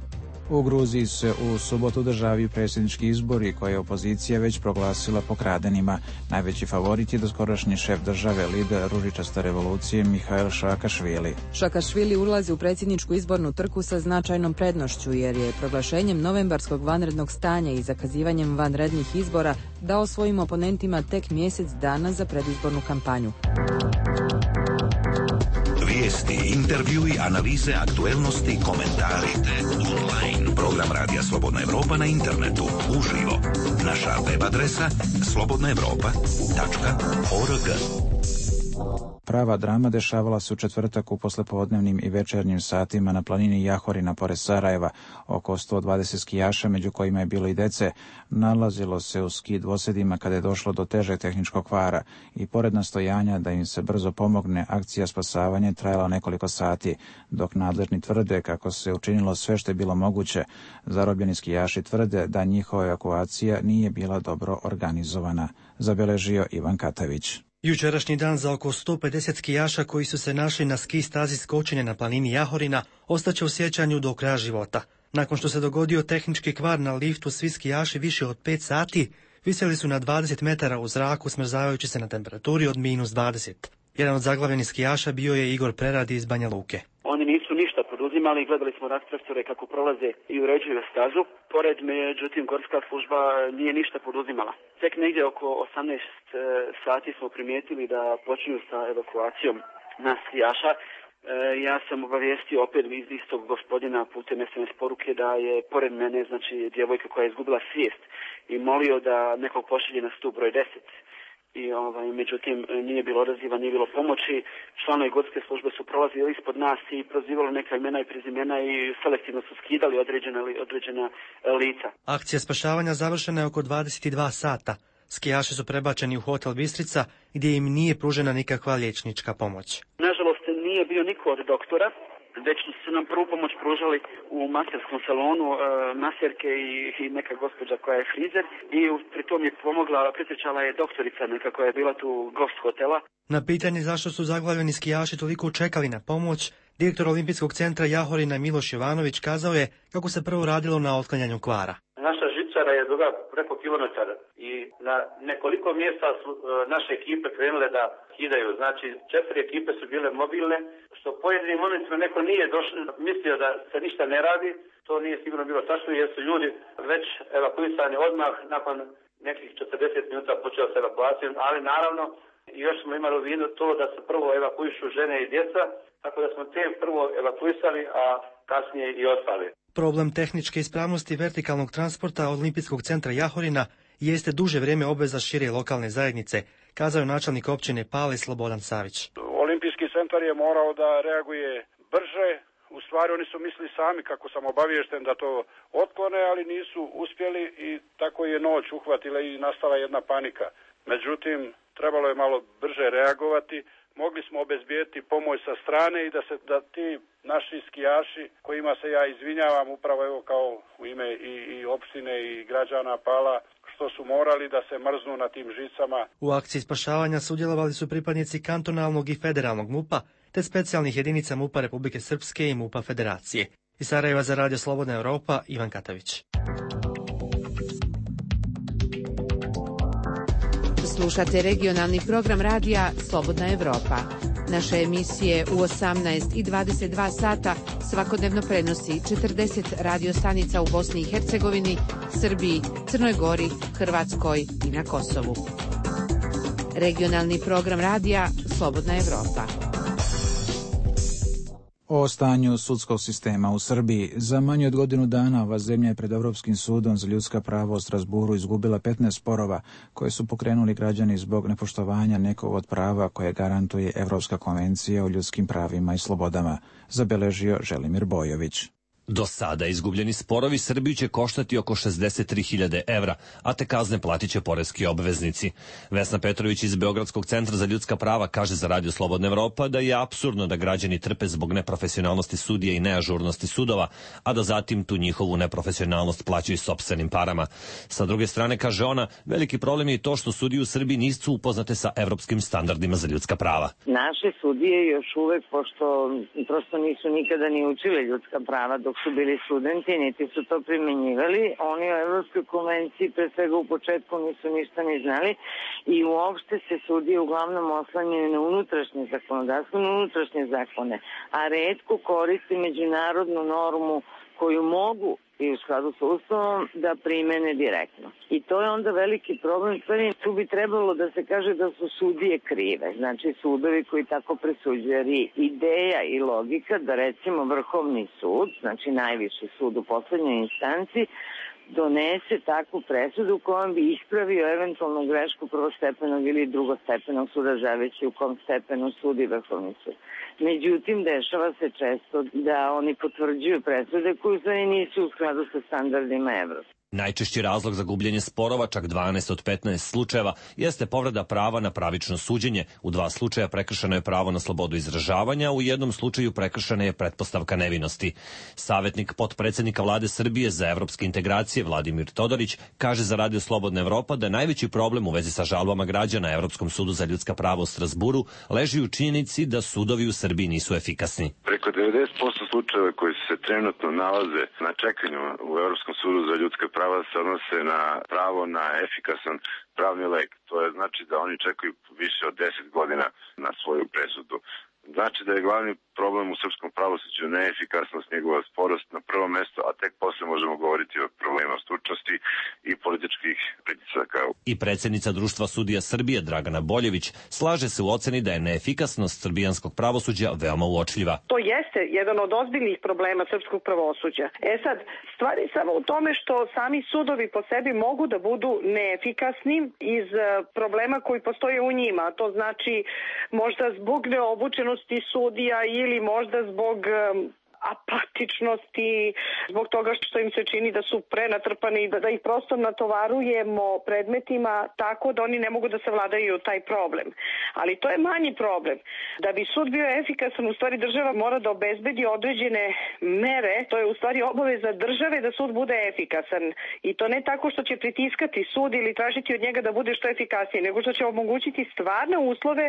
U Gruziji se u subotu održavaju predsjednički izbori koje je opozicija već proglasila pokradenima. Najveći favorit je doskorašnji šef države, lider ružičaste revolucije Mihail Šakašvili. Šakašvili ulazi u predsjedničku izbornu trku sa značajnom prednošću, jer je proglašenjem novembarskog vanrednog stanja i zakazivanjem vanrednih izbora dao svojim oponentima tek mjesec dana za predizbornu kampanju. Vijesti, intervjui, analize, aktuelnosti, komentari. Online. Program Radija Slobodna Evropa na internetu. Uživo. Naša web adresa slobodna evropa tačka org. Prava drama dešavala se u četvrtak u poslepodnevnim i večernjim satima na planini Jahorina pored Sarajeva. Oko sto dvadeset skijaša, među kojima je bilo i dece, nalazilo se u ski dvosedima kada je došlo do težeg tehničkog kvara i pored nastojanja da im se brzo pomogne, akcija spasavanja trajala nekoliko sati, dok nadležni tvrde kako se učinilo sve što je bilo moguće. Zarobljeni skijaši tvrde da njihova evakuacija nije bila dobro organizovana, zabeležio Ivan Katavić. Jučerašnji dan za oko sto pedeset skijaša koji su se našli na ski stazi skočenja na planini Jahorina ostaće u sjećanju do kraja života. Nakon što se dogodio tehnički kvar na liftu, svi skijaši više od pet sati visjeli su na dvadeset metara u zraku, smrzavajući se na temperaturi od minus dvadeset. Jedan od zaglavljenih skijaša bio je Igor Prerad iz Banja Luke. Oni nisu ništa poduzimali, gledali smo rastreftore kako prolaze i uređuju stazu. Pored, međutim, gorska služba nije ništa poduzimala. Tek negdje oko osamnaest sati smo primijetili da počinju sa evakuacijom nas skijaša. E, ja sam obavijestio opet iz istog gospodina putem es em es poruke da je pored mene, znači, djevojka koja je izgubila svijest i molio da nekog pošalje na stup broj deset. I ovaj, međutim, nije bilo odaziva, nije bilo pomoći. Članovi gorske službe su prolazili ispod nas i prozivali neka imena i prezimena i selektivno su skidali određena, određena lica. Akcija spašavanja završena je oko dvadeset dva sata. Skijaši su prebačeni u hotel Bistrica, gdje im nije pružena nikakva liječnička pomoć. Nažalost, nije bio niko od doktora već su nam prvu pomoć pružali u maserskom salonu, e, maserke i, i neka gospođa koja je frizer i pri tom je pomogla, pretječala je doktorica neka koja je bila tu gost hotela. Na pitanje zašto su zaglavljeni skijaši toliko čekali na pomoć, direktor Olimpijskog centra Jahorina Miloš Jovanović kazao je kako se prvo radilo na otklanjanju kvara. Naša žičara je duga preko kilometar i na nekoliko mjesta su e, naše ekipe krenule da kidaju. Znači, četiri ekipe su bile mobilne, što pojedinim momentima neko nije došlo, mislio da se ništa ne radi. To nije sigurno bilo tačno jer su ljudi već evakuisani odmah nakon nekih četrdeset minuta počeo s evakuacijom, ali naravno još smo imali u vidu to da se prvo evakuišu žene i djeca, tako da smo te prvo evakuisali, a kasnije i ostali. Problem tehničke ispravnosti vertikalnog transporta Olimpijskog centra Jahorina jeste duže vrijeme obveza šire lokalne zajednice, kazao je načelnik općine Pale Slobodan Savić. Olimpijski centar je morao da reaguje brže. U stvari oni su mislili sami, kako sam obaviješten, da to otklone, ali nisu uspjeli i tako je noć uhvatila i nastala jedna panika. Međutim, trebalo je malo brže reagovati. Mogli smo obezbijeti pomoć sa strane i da se da ti naši skijaši, kojima se ja izvinjavam upravo evo kao u ime i, i opštine i građana Pala, što su morali da se mrznu na tim žicama. U akciji spašavanja sudjelovali su pripadnici kantonalnog i federalnog MUP-a, te specijalnih jedinica MUP-a Republike Srpske i MUP-a Federacije. Iz Sarajeva za Radio Slobodna Europa, Ivan Katavić. Slušate regionalni program radija Slobodna Evropa. Naše emisije u osamnaest i dvadeset dva sata svakodnevno prenosi četrdeset radio stanica u Bosni i Hercegovini, Srbiji, Crnoj Gori, Hrvatskoj i na Kosovu. Regionalni program radija Slobodna Evropa. O stanju sudskog sistema u Srbiji. Za manje od godinu dana ova zemlja je pred Europskim sudom za ljudska prava u Strasburu izgubila petnaest sporova koje su pokrenuli građani zbog nepoštovanja nekog od prava koje garantuje Evropska konvencija o ljudskim pravima i slobodama, zabeležio Želimir Bojović. Do sada izgubljeni sporovi Srbiju će koštati oko šezdeset tri hiljade evra, a te kazne platit će poreski obveznici. Vesna Petrović iz Beogradskog centra za ljudska prava kaže za Radio Slobodna Evropa da je apsurdno da građani trpe zbog neprofesionalnosti sudija i neažurnosti sudova, a da zatim tu njihovu neprofesionalnost plaćaju sopstvenim parama. Sa druge strane, kaže ona, veliki problem je to što sudije u Srbiji nisu upoznate sa evropskim standardima za ljudska prava. Naše sudije još uvek, pošto prosto nisu nikada ni učile ljudska prava dok su bili studenti, niti su to primenjivali. Oni o Evropskoj konvenciji pre svega u početku nisu ništa ni znali i uopšte se sudije uglavnom oslanjaju na unutrašnje zakonodavstvo, na unutrašnje zakone, a retko koristi međunarodnu normu koju mogu i u skladu sa Ustavom da primene direktno. I to je onda veliki problem. Tu bi trebalo da se kaže da su sudije krive, znači sudovi koji tako presuđuju. Jer ideja i logika da recimo Vrhovni sud, znači najviši sud u poslednjoj instanci, donese takvu presudu kojom bi ispravio eventualnu grešku prvostepenog ili drugostepenog suda, zavisno u kom stepenu sudi Vrhovni sud. Međutim, dešava se često da oni potvrđuju presude koje u nisu u skladu sa standardima Evropske. Najčešći razlog za gubljenje sporova, čak dvanaest od petnaest slučajeva, jeste povreda prava na pravično suđenje. U dva slučaja prekršeno je pravo na slobodu izražavanja, u jednom slučaju prekršena je pretpostavka nevinosti. Savetnik potpredsednika vlade Srbije za evropske integracije Vladimir Todorić kaže za Radio Slobodna Evropa da najveći problem u vezi sa žalbama građana Evropskom sudu za ljudska prava u Strasburu leži u činjenici da sudovi u Srbiji nisu efikasni. Preko devedeset posto slučajeva koji se trenutno nalaze na čekanju u Evropskom sudu za ljudska prava se odnose na pravo na efikasan pravni lek. To je znači da oni čekaju više od deset godina na svoju presudu. Znači da je glavni problem u srpskom pravosuđu neefikasnost, njegova sporost na prvo mesto, a tek posle možemo govoriti o problema stručnosti i političkih pritisaka. I predsjednica Društva sudija Srbije Dragana Boljević slaže se u oceni da je neefikasnost srbijanskog pravosuđa veoma uočljiva. To jeste jedan od ozbiljnih problema srpskog pravosuđa. E sad, stvar je samo u tome što sami sudovi po sebi mogu da budu neefikasni iz problema koji postoje u njima. To znači možda zbog neobučenosti sudija ili možda zbog apatičnosti, zbog toga što im se čini da su prenatrpani i da, da ih prosto natovarujemo predmetima tako da oni ne mogu da savladaju taj problem. Ali to je manji problem. Da bi sud bio efikasan, u stvari država mora da obezbedi određene mere, to je u stvari obaveza države da sud bude efikasan. I to ne tako što će pritiskati sud ili tražiti od njega da bude što efikasniji, nego što će omogućiti stvarne uslove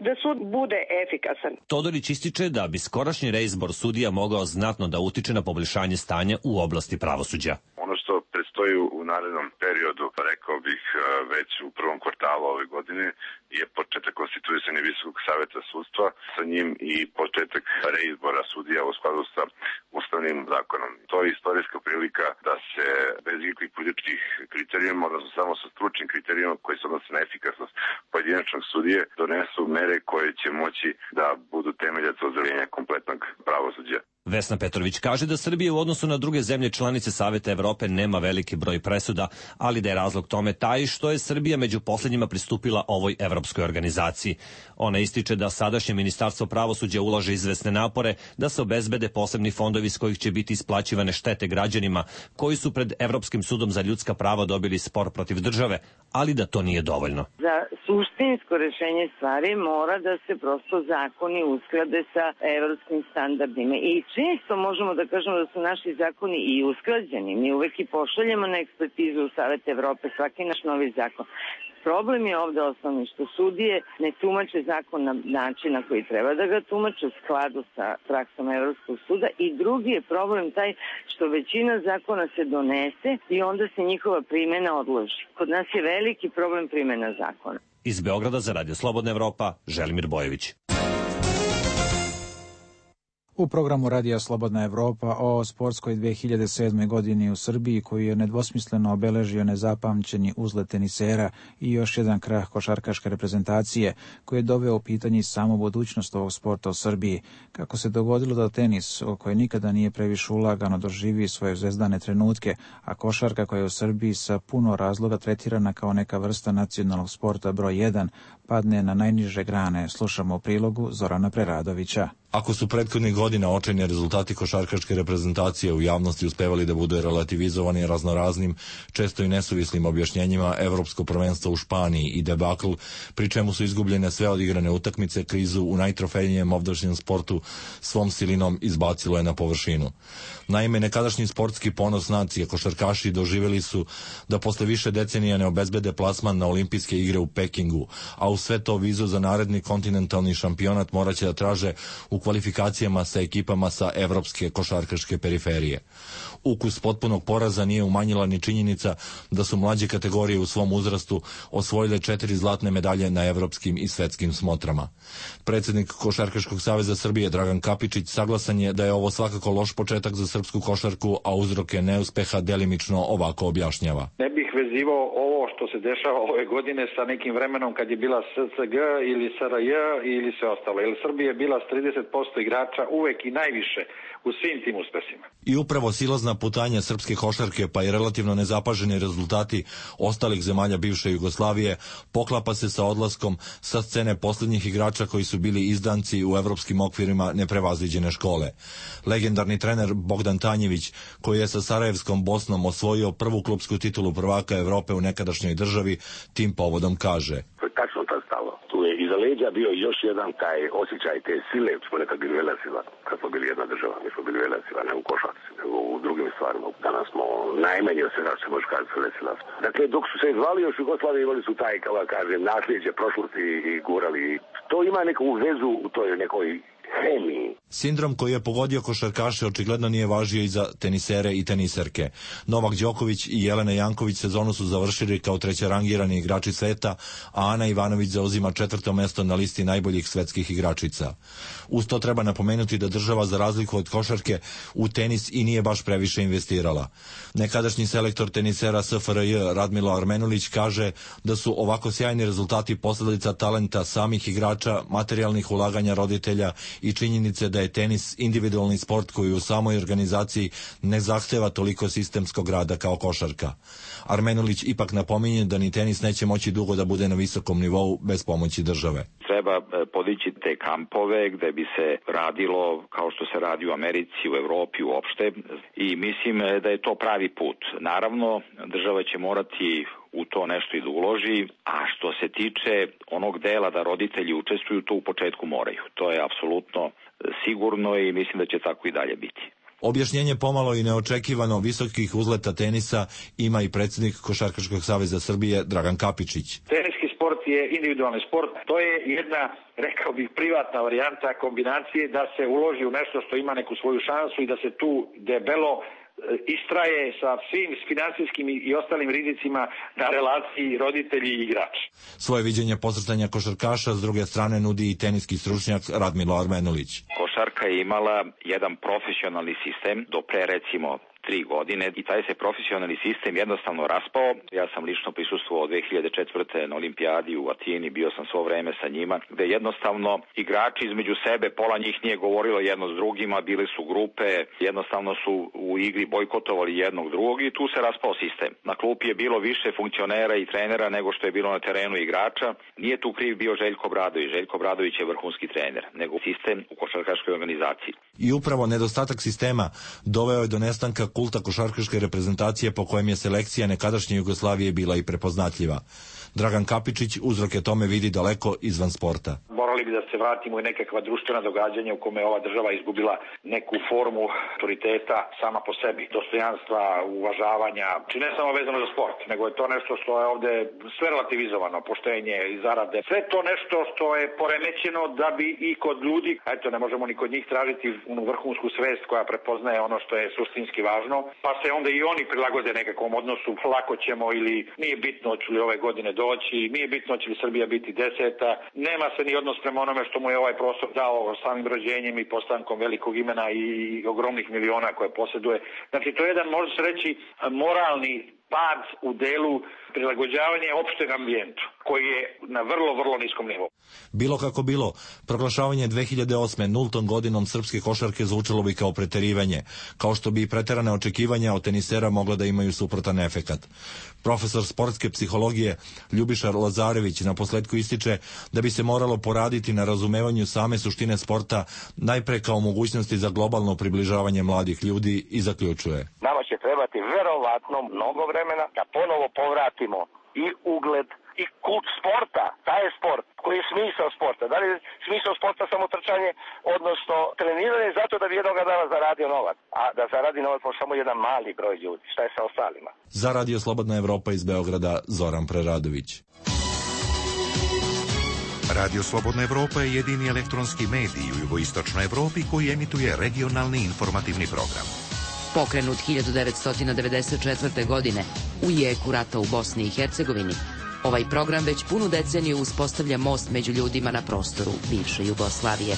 da sud bude efikasan. Todorić ističe da bi skorašnji reizbor sudija mogao znatno da utiče na poboljšanje stanja u oblasti pravosuđa. Ono što predstoji u narednom periodu, rekao bih već u prvom kvartalu ove godine, je početak konstituisanja Visokog saveta sudstva, sa njim i početak reizbora sudija u skladu sa ustavnim zakonom. To je istorijska prilika da se bez ikakvih političkih kriterijuma, odnosno samo sa stručnim kriterijuma koji se odnose na efikasnost pojedinačnog sudije, donesu mere koje će moći da budu temeljac ozdravljenja kompletnog pravosuđa. Vesna Petrović kaže da Srbija u odnosu na druge zemlje članice Saveta Evrope nema veliki broj presuda, ali da je razlog tome taj što je Srbija među poslednjima pristupila ovoj evropskoj organizaciji. Ona ističe da sadašnje Ministarstvo pravosuđa ulaže izvesne napore da se obezbede posebni fondovi s kojih će biti isplaćivane štete građanima koji su pred Evropskim sudom za ljudska prava dobili spor protiv države, ali da to nije dovoljno. Za suštinsko rešenje stvari mora da se prosto zakoni usklade sa evropskim standardima i često možemo da kažemo da su naši zakoni i usklađeni. Mi uvek i pošaljemo na ekspertizu u Savet Evrope svaki naš novi zakon. Problem je ovde osnovni što sudije ne tumače zakon na način na koji treba da ga tumače u skladu sa praksom Evropskog suda i drugi je problem taj što većina zakona se donese i onda se njihova primjena odloži. Kod nas je veliki problem primjena zakona. Iz Beograda za Radio Slobodna Evropa, Želimir Bojević. U programu Radija Slobodna Evropa o sportskoj dve hiljade sedme. godini u Srbiji, koji je nedvosmisleno obeležio nezapamćeni uzlet tenisera i još jedan krah košarkaške reprezentacije, koji je doveo u pitanje samu budućnost ovog sporta u Srbiji. Kako se dogodilo da tenis, o kojoj nikada nije previše ulagano, doživi svoje zvezdane trenutke, a košarka koja je u Srbiji sa puno razloga tretirana kao neka vrsta nacionalnog sporta broj jedan, padne na najniže grane, slušamo u prilogu Zorana Preradovića. Ako su prethodnih godina očajni rezultati košarkaške reprezentacije u javnosti uspevali da budu relativizovani raznoraznim, često i nesuvislim objašnjenjima, evropsko prvenstvo u Španiji i debakl, pri čemu su izgubljene sve odigrane utakmice, krizu u najtrofejnijem ovdašnjem sportu svom silinom izbacilo je na površinu. Naime, nekadašnji sportski ponos nacije, košarkaši, doživjeli su da posle više decenija ne obezbede plasman na olimpijske igre u Pekingu, a u sve to vizu za naredni kontinentalni šampionat moraće da traže u kvalifikacijama sa ekipama sa evropske košarkaške periferije. Ukus potpunog poraza nije umanjila ni činjenica da su mlađe kategorije u svom uzrastu osvojile četiri zlatne medalje na evropskim i svetskim smotrama. Predsjednik Košarkaškog saveza Srbije Dragan Kapičić saglasan je da je ovo svakako loš početak za srpsku košarku, a uzroke neuspeha delimično ovako objašnjava. Ne bih vezivao ovo što se dešava ove godine sa nekim vremenom kad je bila S C G ili S R J ili sve ostalo. Jer Srbija je bila s trideset posto igrača uvek i najviše u svim tim uspesima. I upravo silazna putanja srpske košarke pa i relativno nezapaženi rezultati ostalih zemalja bivše Jugoslavije poklapa se sa odlaskom sa scene posljednjih igrača koji su bili izdanci u evropskim okvirima neprevaziđene škole. Legendarni trener Bogdan Tanjević, koji je sa Sarajevskom Bosnom osvojio prvu klupsku titulu prvaka Evrope u nekadašnjoj državi, tim povodom kaže: tačno ta stalo. Tu je iza leđa bio još jedan taj osjećaj te sile, smo nekad bili velesila, kad smo bili jedna država, mi smo bili velesila, ne u košarci, nego u drugim stvarima. Danas smo najmanje od svega što može kazati velesila. Dakle, dok su se zvali još Jugoslavije, imali su taj, kao kažem, nasljeđe prošlosti i gurali. To ima neku vezu u toj nekoj hemiji. Sindrom koji je pogodio košarkaše očigledno nije važio i za tenisere i teniserke. Novak Đoković i Jelena Janković sezonu su završili kao trećerangirani igrači sveta, a Ana Ivanović zauzima četvrto mesto na listi najboljih svetskih igračica. Uz to treba napomenuti da država, za razliku od košarke, u tenis i nije baš previše investirala. Nekadašnji selektor tenisera S F R J Radmilo Armenulić kaže da su ovako sjajni rezultati posledica talenta samih igrača, materijalnih ulaganja roditelja i i činjenice da je tenis individualni sport koji u samoj organizaciji ne zahteva toliko sistemskog rada kao košarka. Armenulić ipak napominje da ni tenis neće moći dugo da bude na visokom nivou bez pomoći države. Treba podići te kampove gde bi se radilo kao što se radi u Americi, u Evropi uopšte i mislim da je to pravi put. Naravno, država će morati u to nešto i da uloži, a što se tiče onog dela da roditelji učestvuju, to u početku moraju. To je apsolutno sigurno i mislim da će tako i dalje biti. Objašnjenje pomalo i neočekivano visokih uzleta tenisa ima i predsjednik Košarkaškog saveza Srbije Dragan Kapičić. Teniski sport je individualni sport. To je jedna, rekao bih, privatna varijanta kombinacije da se uloži u nešto što ima neku svoju šansu i da se tu debelo istraje sa svim finansijskim i ostalim rizicima na relaciji roditelji i igrač. Svoje viđenje posrtanja košarkaša s druge strane nudi i teniski stručnjak Radmilo Armenulić. Košarka je imala jedan profesionalni sistem do pre recimo tri godine i taj se profesionalni sistem jednostavno raspao. Ja sam lično prisustvovao dve hiljade četvrte. na olimpijadi u Atini, bio sam svo vreme sa njima, gde jednostavno igrači između sebe, pola njih nije govorilo jedno s drugima, bile su grupe, jednostavno su u igri bojkotovali jednog drugog i tu se raspao sistem. Na klupi je bilo više funkcionera i trenera nego što je bilo na terenu igrača. Nije tu kriv bio Željko Obradović. Željko Obradović je vrhunski trener, nego sistem u košarkaškoj organizaciji. I upravo nedostatak sistema doveo je do nestanka kulta košarkaške reprezentacije po kojem je selekcija nekadašnje Jugoslavije bila i prepoznatljiva. Dragan Kapičić uzroke tome vidi daleko izvan sporta. Morali bi da se vratimo i nekakva društvena događanja u kome je ova država izgubila neku formu autoriteta sama po sebi, dostojanstva, uvažavanja, či ne samo vezano za sport, nego je to nešto što je ovde sve relativizovano, poštenje i zarade. Sve to nešto što je poremećeno da bi i kod ljudi, eto ne možemo ni kod njih tražiti onu vrhunsku svest koja prepoznaje ono što je suštinski važno, pa se onda i oni prilagode nekakvom odnosu, lako ćemo ili nije bitno hoću li ove godine doći, nije bitno će li Srbija biti deseta, nema se ni odnos prema onome što mu je ovaj prostor dao samim rođenjem i postankom velikog imena i ogromnih miliona koje posjeduje. Znači to je jedan, može se reći, moralni pad u delu prilagođavanja opšteg ambijentu, koji je na vrlo, vrlo niskom nivou. Bilo kako bilo, proglašavanje dve hiljade osme nultom godinom srpske košarke zvučalo bi kao preterivanje, kao što bi preterane očekivanja od tenisera mogla da imaju suprotan efekat. Profesor sportske psihologije Ljubiša Lazarević na posledku ističe da bi se moralo poraditi na razumevanju same suštine sporta, najpre kao mogućnosti za globalno približavanje mladih ljudi, i zaključuje. Nama će trebati verovatno mnogo vremena da ponovo povratimo i ugled i kult sporta. Taj je sport, koji je smisao sporta. Da li je smisao sporta samo trčanje, odnosno treniranje zato da bi jednoga dana zaradio novac, a da zaradi novac može samo jedan mali broj ljudi. Šta je sa ostalima? Za Radio Slobodna Evropa iz Beograda, Zoran Preradović. Radio Slobodna Evropa je jedini elektronski medij u jugoistočnoj Evropi koji emituje regionalni informativni program. Pokrenut hiljadu devetsto devedeset četvrte. godine u jeku rata u Bosni i Hercegovini, ovaj program već punu deceniju uspostavlja most među ljudima na prostoru bivše Jugoslavije.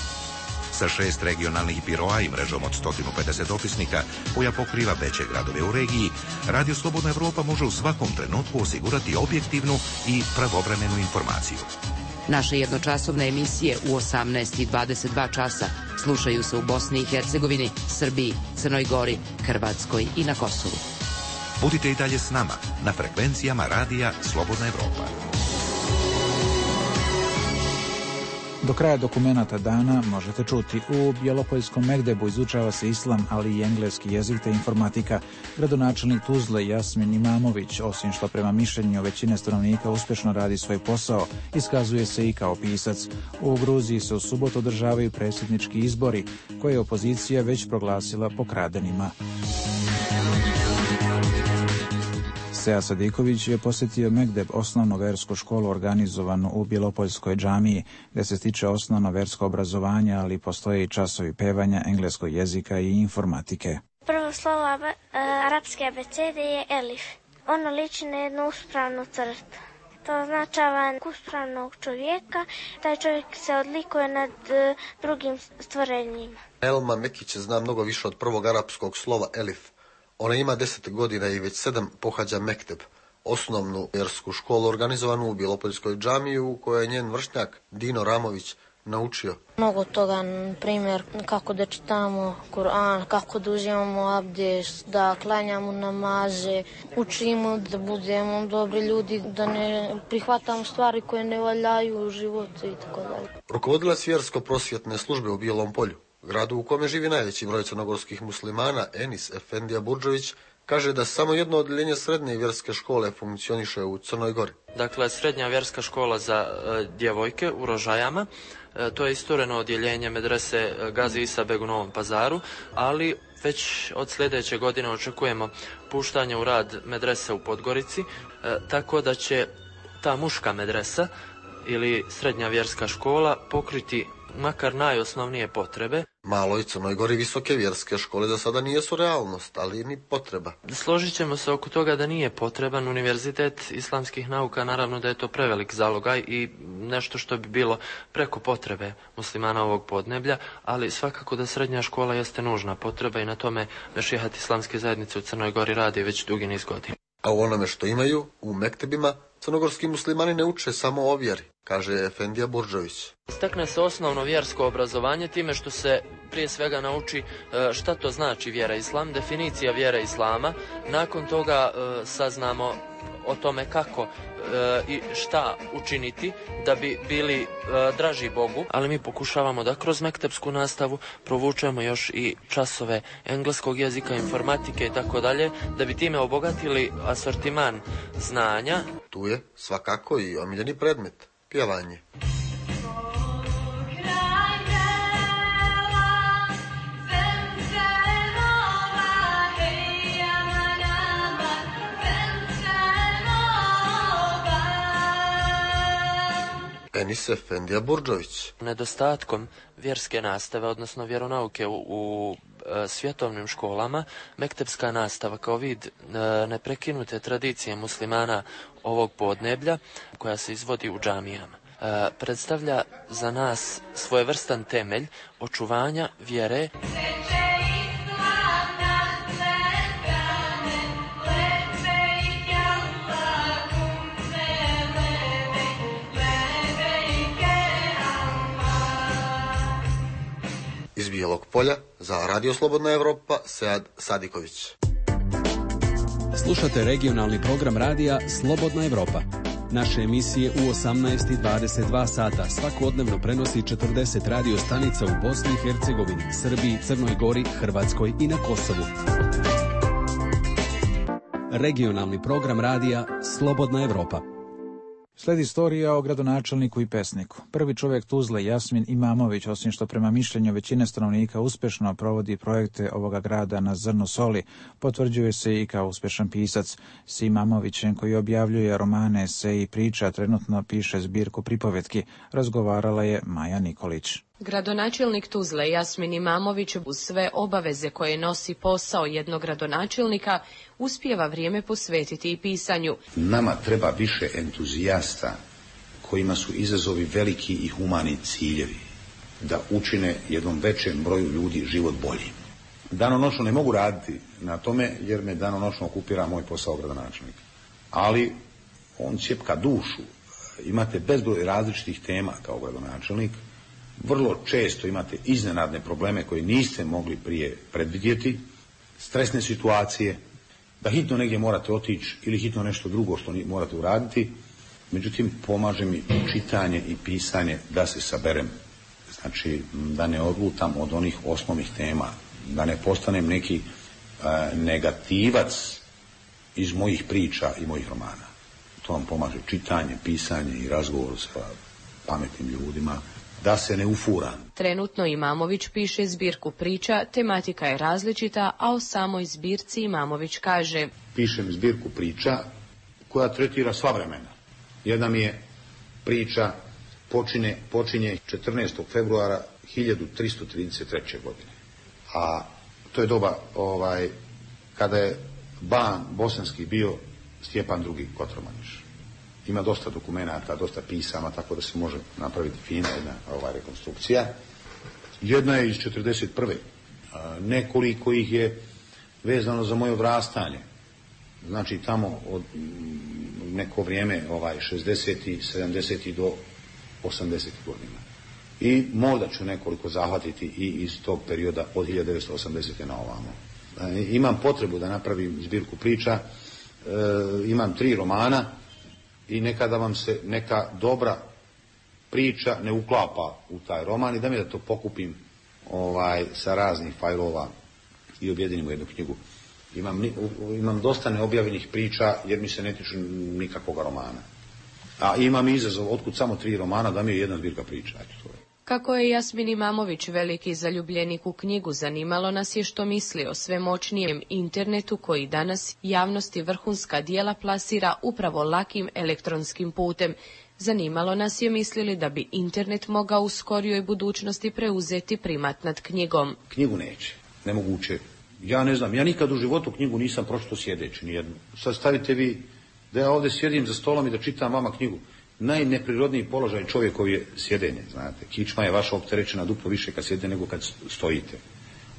Sa šest regionalnih biroa i mrežom od sto pedeset opisnika koja pokriva veće gradove u regiji, Radio Slobodna Evropa može u svakom trenutku osigurati objektivnu i pravovremenu informaciju. Naše jednočasovne emisije u osamnaest i dvadeset dva časa slušaju se u Bosni i Hercegovini, Srbiji, Crnoj Gori, Hrvatskoj i na Kosovu. Budite i dalje s nama na frekvencijama Radija Slobodna Evropa. Do kraja dokumenata dana možete čuti: u Bjelopoljskom Megdebu izučava se islam, ali i engleski jezik te informatika. Gradonačelnik Tuzle Jasmin Imamović, osim što prema mišljenju većine stanovnika uspješno radi svoj posao, iskazuje se i kao pisac. U Gruziji se u subotu održavaju predsjednički izbori, koje je opozicija već proglasila pokradenima. Sead Sadiković je posjetio Megdeb, osnovnu versku školu organizovanu u Bjelopoljskoj džamiji, gdje se stiče osnovno versko obrazovanje, ali postoje i časovi pevanja, engleskog jezika i informatike. Prvo slovo ab, arapske abecede je elif. Ono liči na jednu uspravnu crtu. To označava uspravnog čovjeka. Taj čovjek se odlikuje nad uh, drugim stvorenjima. Elma Mekić zna mnogo više od prvog arapskog slova elif. Ona ima deset godina i već sedam pohađa Mekteb, osnovnu vjersku školu organizovanu u Bjelopoljskoj džamiji, u kojoj je njen vršnjak Dino Ramović naučio? Mnogo toga, na primjer, kako da čitamo Kur'an, kako da uzimamo abdest, da klanjamo namaze, učimo da budemo dobri ljudi, da ne prihvatamo stvari koje ne valjaju u životu i tako dalje. Rukovodilac vjersko-prosvjetne službe u Bijelom Polju, gradu u kome živi najveći broj crnogorskih muslimana, Enis Efendija Burdžović, kaže da samo jedno odeljenje srednje vjerske škole funkcioniše u Crnoj Gori. Dakle, srednja vjerska škola za e, djevojke u Rožajama, e, to je istureno odjeljenje medrese Gazi Isa Beg u Novom Pazaru, ali već od sljedeće godine očekujemo puštanje u rad medrese u Podgorici, e, tako da će ta muška medresa ili srednja vjerska škola pokriti makar najosnovnije potrebe. Maloj Crnoj Gori visoke vjerske škole za sada nijesu realnost, ali ni potreba. Složit ćemo se oko toga da nije potreban univerzitet islamskih nauka, naravno da je to prevelik zalogaj i nešto što bi bilo preko potrebe muslimana ovog podneblja, ali svakako da srednja škola jeste nužna potreba i na tome Mešihat islamske zajednice u Crnoj Gori radi već dugi niz godina. A u onome što imaju, u mektebima, crnogorski muslimani ne uče samo o vjeri, kaže Efendija Burdžović. Stekne se osnovno vjersko obrazovanje time što se prije svega nauči šta to znači vjera islam, definicija vjere islama. Nakon toga saznamo o tome kako i šta učiniti da bi bili draži Bogu, ali mi pokušavamo da kroz mektepsku nastavu provučemo još i časove engleskog jezika, informatike i tako dalje, da bi time obogatili asortiman znanja. Tu je svakako i omiljeni predmet, pjevanje. Enis Efendija Burdžović. Nedostatkom vjerske nastave, odnosno vjeronauke u, u e, svjetovnim školama, mektepska nastava kao vid e, neprekinute tradicije muslimana ovog podneblja, koja se izvodi u džamijama, e, predstavlja za nas svojevrstan temelj očuvanja vjere. Iz Bijelog Polja za Radio Slobodna Evropa, Sead Sadiković. Slušate regionalni program radija Slobodna Evropa. Naše emisije u osamnaest i dvadeset dva sata svakodnevno prenosi četrdeset radio stanica u Bosni i Hercegovini, Srbiji, Crnoj Gori, Hrvatskoj i na Kosovu. Regionalni program radija Slobodna Evropa. Sledi istorija o gradonačelniku i pesniku. Prvi čovjek Tuzle, Jasmin Imamović, osim što prema mišljenju većine stanovnika uspješno provodi projekte ovoga grada na zrnu soli, potvrđuje se i kao uspješan pisac. S Imamovićem, koji objavljuje romane, eseje i priča, trenutno piše zbirku pripovetki, razgovarala je Maja Nikolić. Gradonačelnik Tuzle, Jasmin Imamović, uz sve obaveze koje nosi posao jednog gradonačelnika, uspijeva vrijeme posvetiti i pisanju. Nama treba više entuzijasta kojima su izazovi veliki i humani ciljevi, da učine jednom većem broju ljudi život bolji. Danonoćno ne mogu raditi na tome jer me danonoćno okupira moj posao gradonačelnika. Ali on cjepka dušu. Imate bezbroj različitih tema kao gradonačelnik. Vrlo često imate iznenadne probleme koje niste mogli prije predvidjeti, stresne situacije, da hitno negdje morate otići ili hitno nešto drugo što morate uraditi. Međutim, pomaže mi čitanje i pisanje da se saberem. Znači, da ne odlutam od onih osnovnih tema, da ne postanem neki e, negativac iz mojih priča i mojih romana. To vam pomaže čitanje, pisanje i razgovor sa pametnim ljudima, da se ne ufuram. Trenutno Imamović piše zbirku priča, tematika je različita, a o samoj zbirci Imamović kaže: Pišem zbirku priča koja tretira sva vremena. Jedna mi je priča počine, počinje četrnaestog februara hiljadu tristo trideset treće. godine. A to je doba ovaj, kada je ban bosanski bio Stjepan drugi. Kotromaniš. Ima dosta dokumenata, dosta pisama, tako da se može napraviti fina jedna ovaj, rekonstrukcija. Jedna je iz četrdeset prve. Nekoliko ih je vezano za moje odrastanje. Znači tamo od neko vrijeme ovaj, šezdesetih, sedamdesetih do osamdesetih godina. I možda ću nekoliko zahvatiti i iz tog perioda od hiljadu devetsto osamdesete na ovamo. E, imam potrebu da napravim zbirku priča, e, imam tri romana i nekada vam se neka dobra priča ne uklapa u taj roman i da mi da to pokupim ovaj, sa raznih fajlova i objedinim u jednu knjigu. Imam, imam dosta neobjavljenih priča jer mi se ne tiču nikakvog romana. A imam izazov, otkud samo tri romana, da mi je jedna zbirka priča. Eto, to je. Kako je Jasmin Imamović veliki zaljubljenik u knjigu, zanimalo nas je što misli o sve moćnijem internetu koji danas javnosti vrhunska dijela plasira upravo lakim elektronskim putem. Zanimalo nas je mislili da bi internet mogao u skorijoj budućnosti preuzeti primat nad knjigom. Knjigu neće, nemoguće. Ja ne znam, ja nikad u životu knjigu nisam pročitao sjedeći, nijednu. Sad stavite vi da ja ovdje sjedim za stolom i da čitam vama knjigu. Najneprirodniji položaj čovjekov je sjedenje, znate. Kičma je vaša opterećena duplo više kad sjedite nego kad stojite.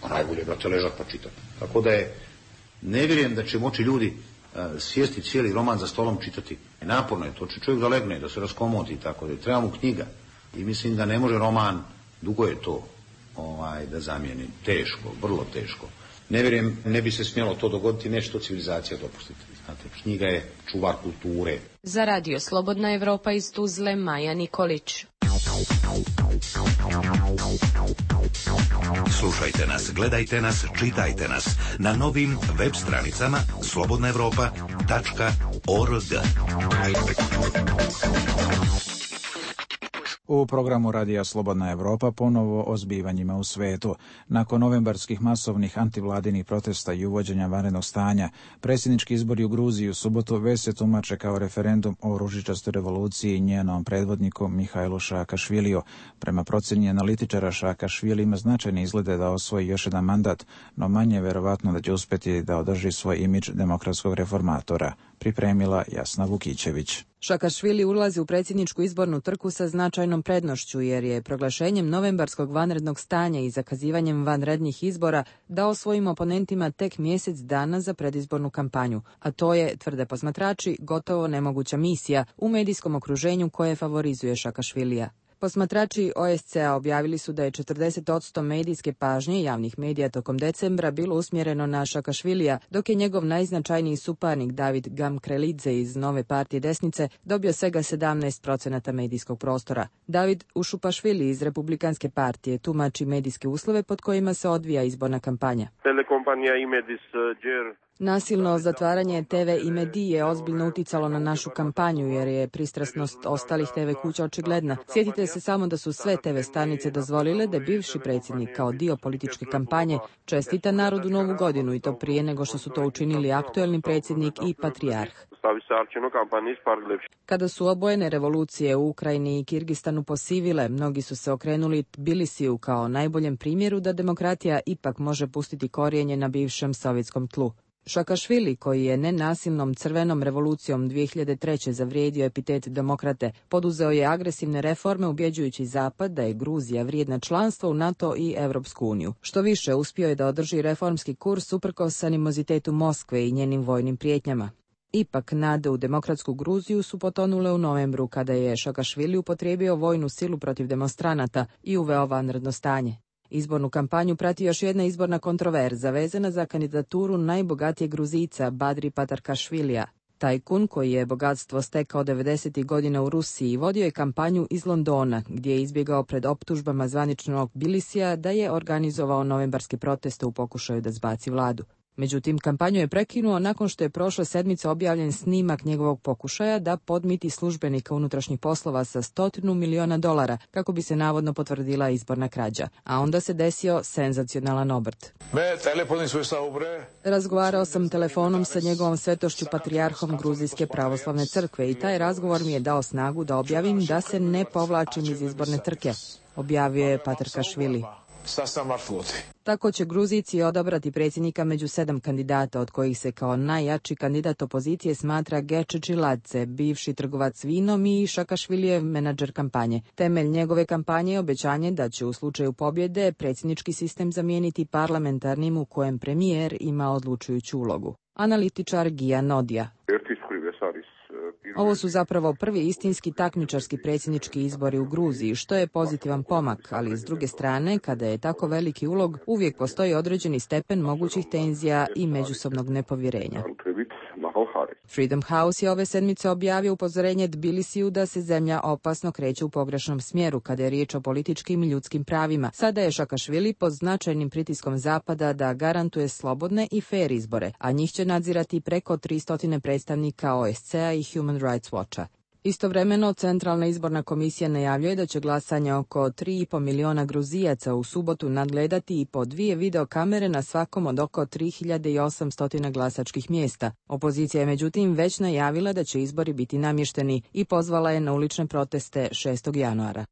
A najbolje brate ležat pa čitati. Tako da je, ne vjerujem da će moći ljudi uh, sjesti cijeli roman za stolom čitati. Naporno je to, će čovjek da legne, da se raskomoti i tako da. Treba mu knjiga. I mislim da ne može roman, dugo je to, ovaj, da zamijeni. Teško, vrlo teško. Ne vjerujem, ne bi se smjelo to dogoditi, neće to civilizacija dopustiti. Znate, knjiga je čuvar kulture. Za Radio Slobodna Evropa iz Tuzle, Maja Nikolić. Slušajte nas, gledajte nas, čitajte nas na novim web stranicama slobodna evropa tačka org. U programu Radija Slobodna Evropa ponovo o zbivanjima u svetu. Nakon novembarskih masovnih antivladinih protesta i uvođenja vanrednog stanja, predsjednički izbori u Gruziji u subotu već se tumače kao referendum o ružičastoj revoluciji i njenom predvodniku Mihajlu Saakašviliju. Prema procjeni analitičara, Saakašvili ima značajne izglede da osvoji još jedan mandat, no manje verovatno da će uspjeti da održi svoj imidž demokratskog reformatora. Pripremila Jasna Vukićević. Saakašvili ulazi u predsjedničku izbornu trku sa značajnom prednošću jer je proglašenjem novembarskog vanrednog stanja i zakazivanjem vanrednih izbora dao svojim oponentima tek mjesec dana za predizbornu kampanju, a to je, tvrde posmatrači, gotovo nemoguća misija u medijskom okruženju koje favorizuje Saakašvilija. Posmatrači O S C A objavili su da je četrdeset posto medijske pažnje javnih medija tokom decembra bilo usmjereno na Saakašvilija, dok je njegov najznačajniji suparnik David Gamkrelidze iz Nove partije desnice dobio svega sedamnaest procenata medijskog prostora. David Ušupašvili iz Republikanske partije tumači medijske uslove pod kojima se odvija izborna kampanja. Telekompanija Imedis Džer. Nasilno zatvaranje T V Imedi je ozbiljno uticalo na našu kampanju jer je pristrasnost ostalih T V kuća očigledna. Sjetite se samo da su sve T V stanice dozvolile da bivši predsjednik kao dio političke kampanje čestita narodu Novu godinu i to prije nego što su to učinili aktuelni predsjednik i patrijarh. Kada su obojene revolucije u Ukrajini i Kirgistanu posivile, mnogi su se okrenuli Tbilisiju kao najboljem primjeru da demokratija ipak može pustiti korijenje na bivšem sovjetskom tlu. Saakašvili, koji je nenasilnom crvenom revolucijom dvije hiljade treće zavrijedio epitet demokrate, poduzeo je agresivne reforme ubjeđujući Zapad da je Gruzija vrijedna članstva u NATO i Europsku uniju. Što više, uspio je da održi reformski kurs uprkos animozitetu Moskve i njenim vojnim prijetnjama. Ipak, nade u demokratsku Gruziju su potonule u novembru kada je Saakašvili upotrijebio vojnu silu protiv demonstranata i uveo vanredno stanje. Izbornu kampanju prati još jedna izborna kontroverza vezana za kandidaturu najbogatijeg Gruzijca Badri Patarkašvilija. Tajkun, koji je bogatstvo stekao devedesetih godina u Rusiji, vodio je kampanju iz Londona, gdje je izbjegao pred optužbama zvaničnog Tbilisija da je organizovao novembarske proteste u pokušaju da zbaci vladu. Međutim, kampanju je prekinuo nakon što je prošle sedmice objavljen snimak njegovog pokušaja da podmiti službenika unutrašnjih poslova sa stotinu miliona dolara kako bi se navodno potvrdila izborna krađa. A onda se desio senzacionalan obrt. Razgovarao sam telefonom sa njegovom svetošću patrijarhom Gruzijske pravoslavne crkve i taj razgovor mi je dao snagu da objavim da se ne povlačim iz izborne trke, objavio je Patarkašvili. Tako će Gruzijci odabrati predsjednika među sedam kandidata, od kojih se kao najjači kandidat opozicije smatra Geče Čiladze, bivši trgovac vinom i Saakašvilijev menadžer kampanje. Temelj njegove kampanje je obećanje da će u slučaju pobjede predsjednički sistem zamijeniti parlamentarnim u kojem premijer ima odlučujuću ulogu. Analitičar Gija Nodija. Ovo su zapravo prvi istinski takmičarski predsjednički izbori u Gruziji, što je pozitivan pomak, ali s druge strane, kada je tako veliki ulog, uvijek postoji određeni stepen mogućih tenzija i međusobnog nepovjerenja. Freedom House je ove sedmice objavio upozorenje Tbilisiju da se zemlja opasno kreće u pogrešnom smjeru kada je riječ o političkim i ljudskim pravima. Sada je Šakašvili pod značajnim pritiskom Zapada da garantuje slobodne i fair izbore, a njih će nadzirati preko tristo predstavnika O S C-a i Human Rights Watcha. Istovremeno, Centralna izborna komisija najavljuje da će glasanje oko tri i pol miliona Gruzijaca u subotu nadgledati i po dvije videokamere na svakom od oko tri hiljade osamsto glasačkih mjesta. Opozicija je međutim već najavila da će izbori biti namješteni i pozvala je na ulične proteste šestog januara.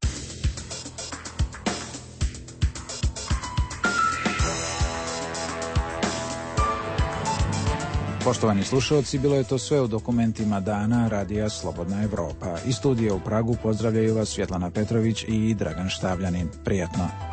Poštovani slušalci, bilo je to sve u dokumentima dana Radija Slobodna Evropa. Iz studija u Pragu pozdravljaju vas Svjetlana Petrović i Dragan Štavljanin. Prijatno.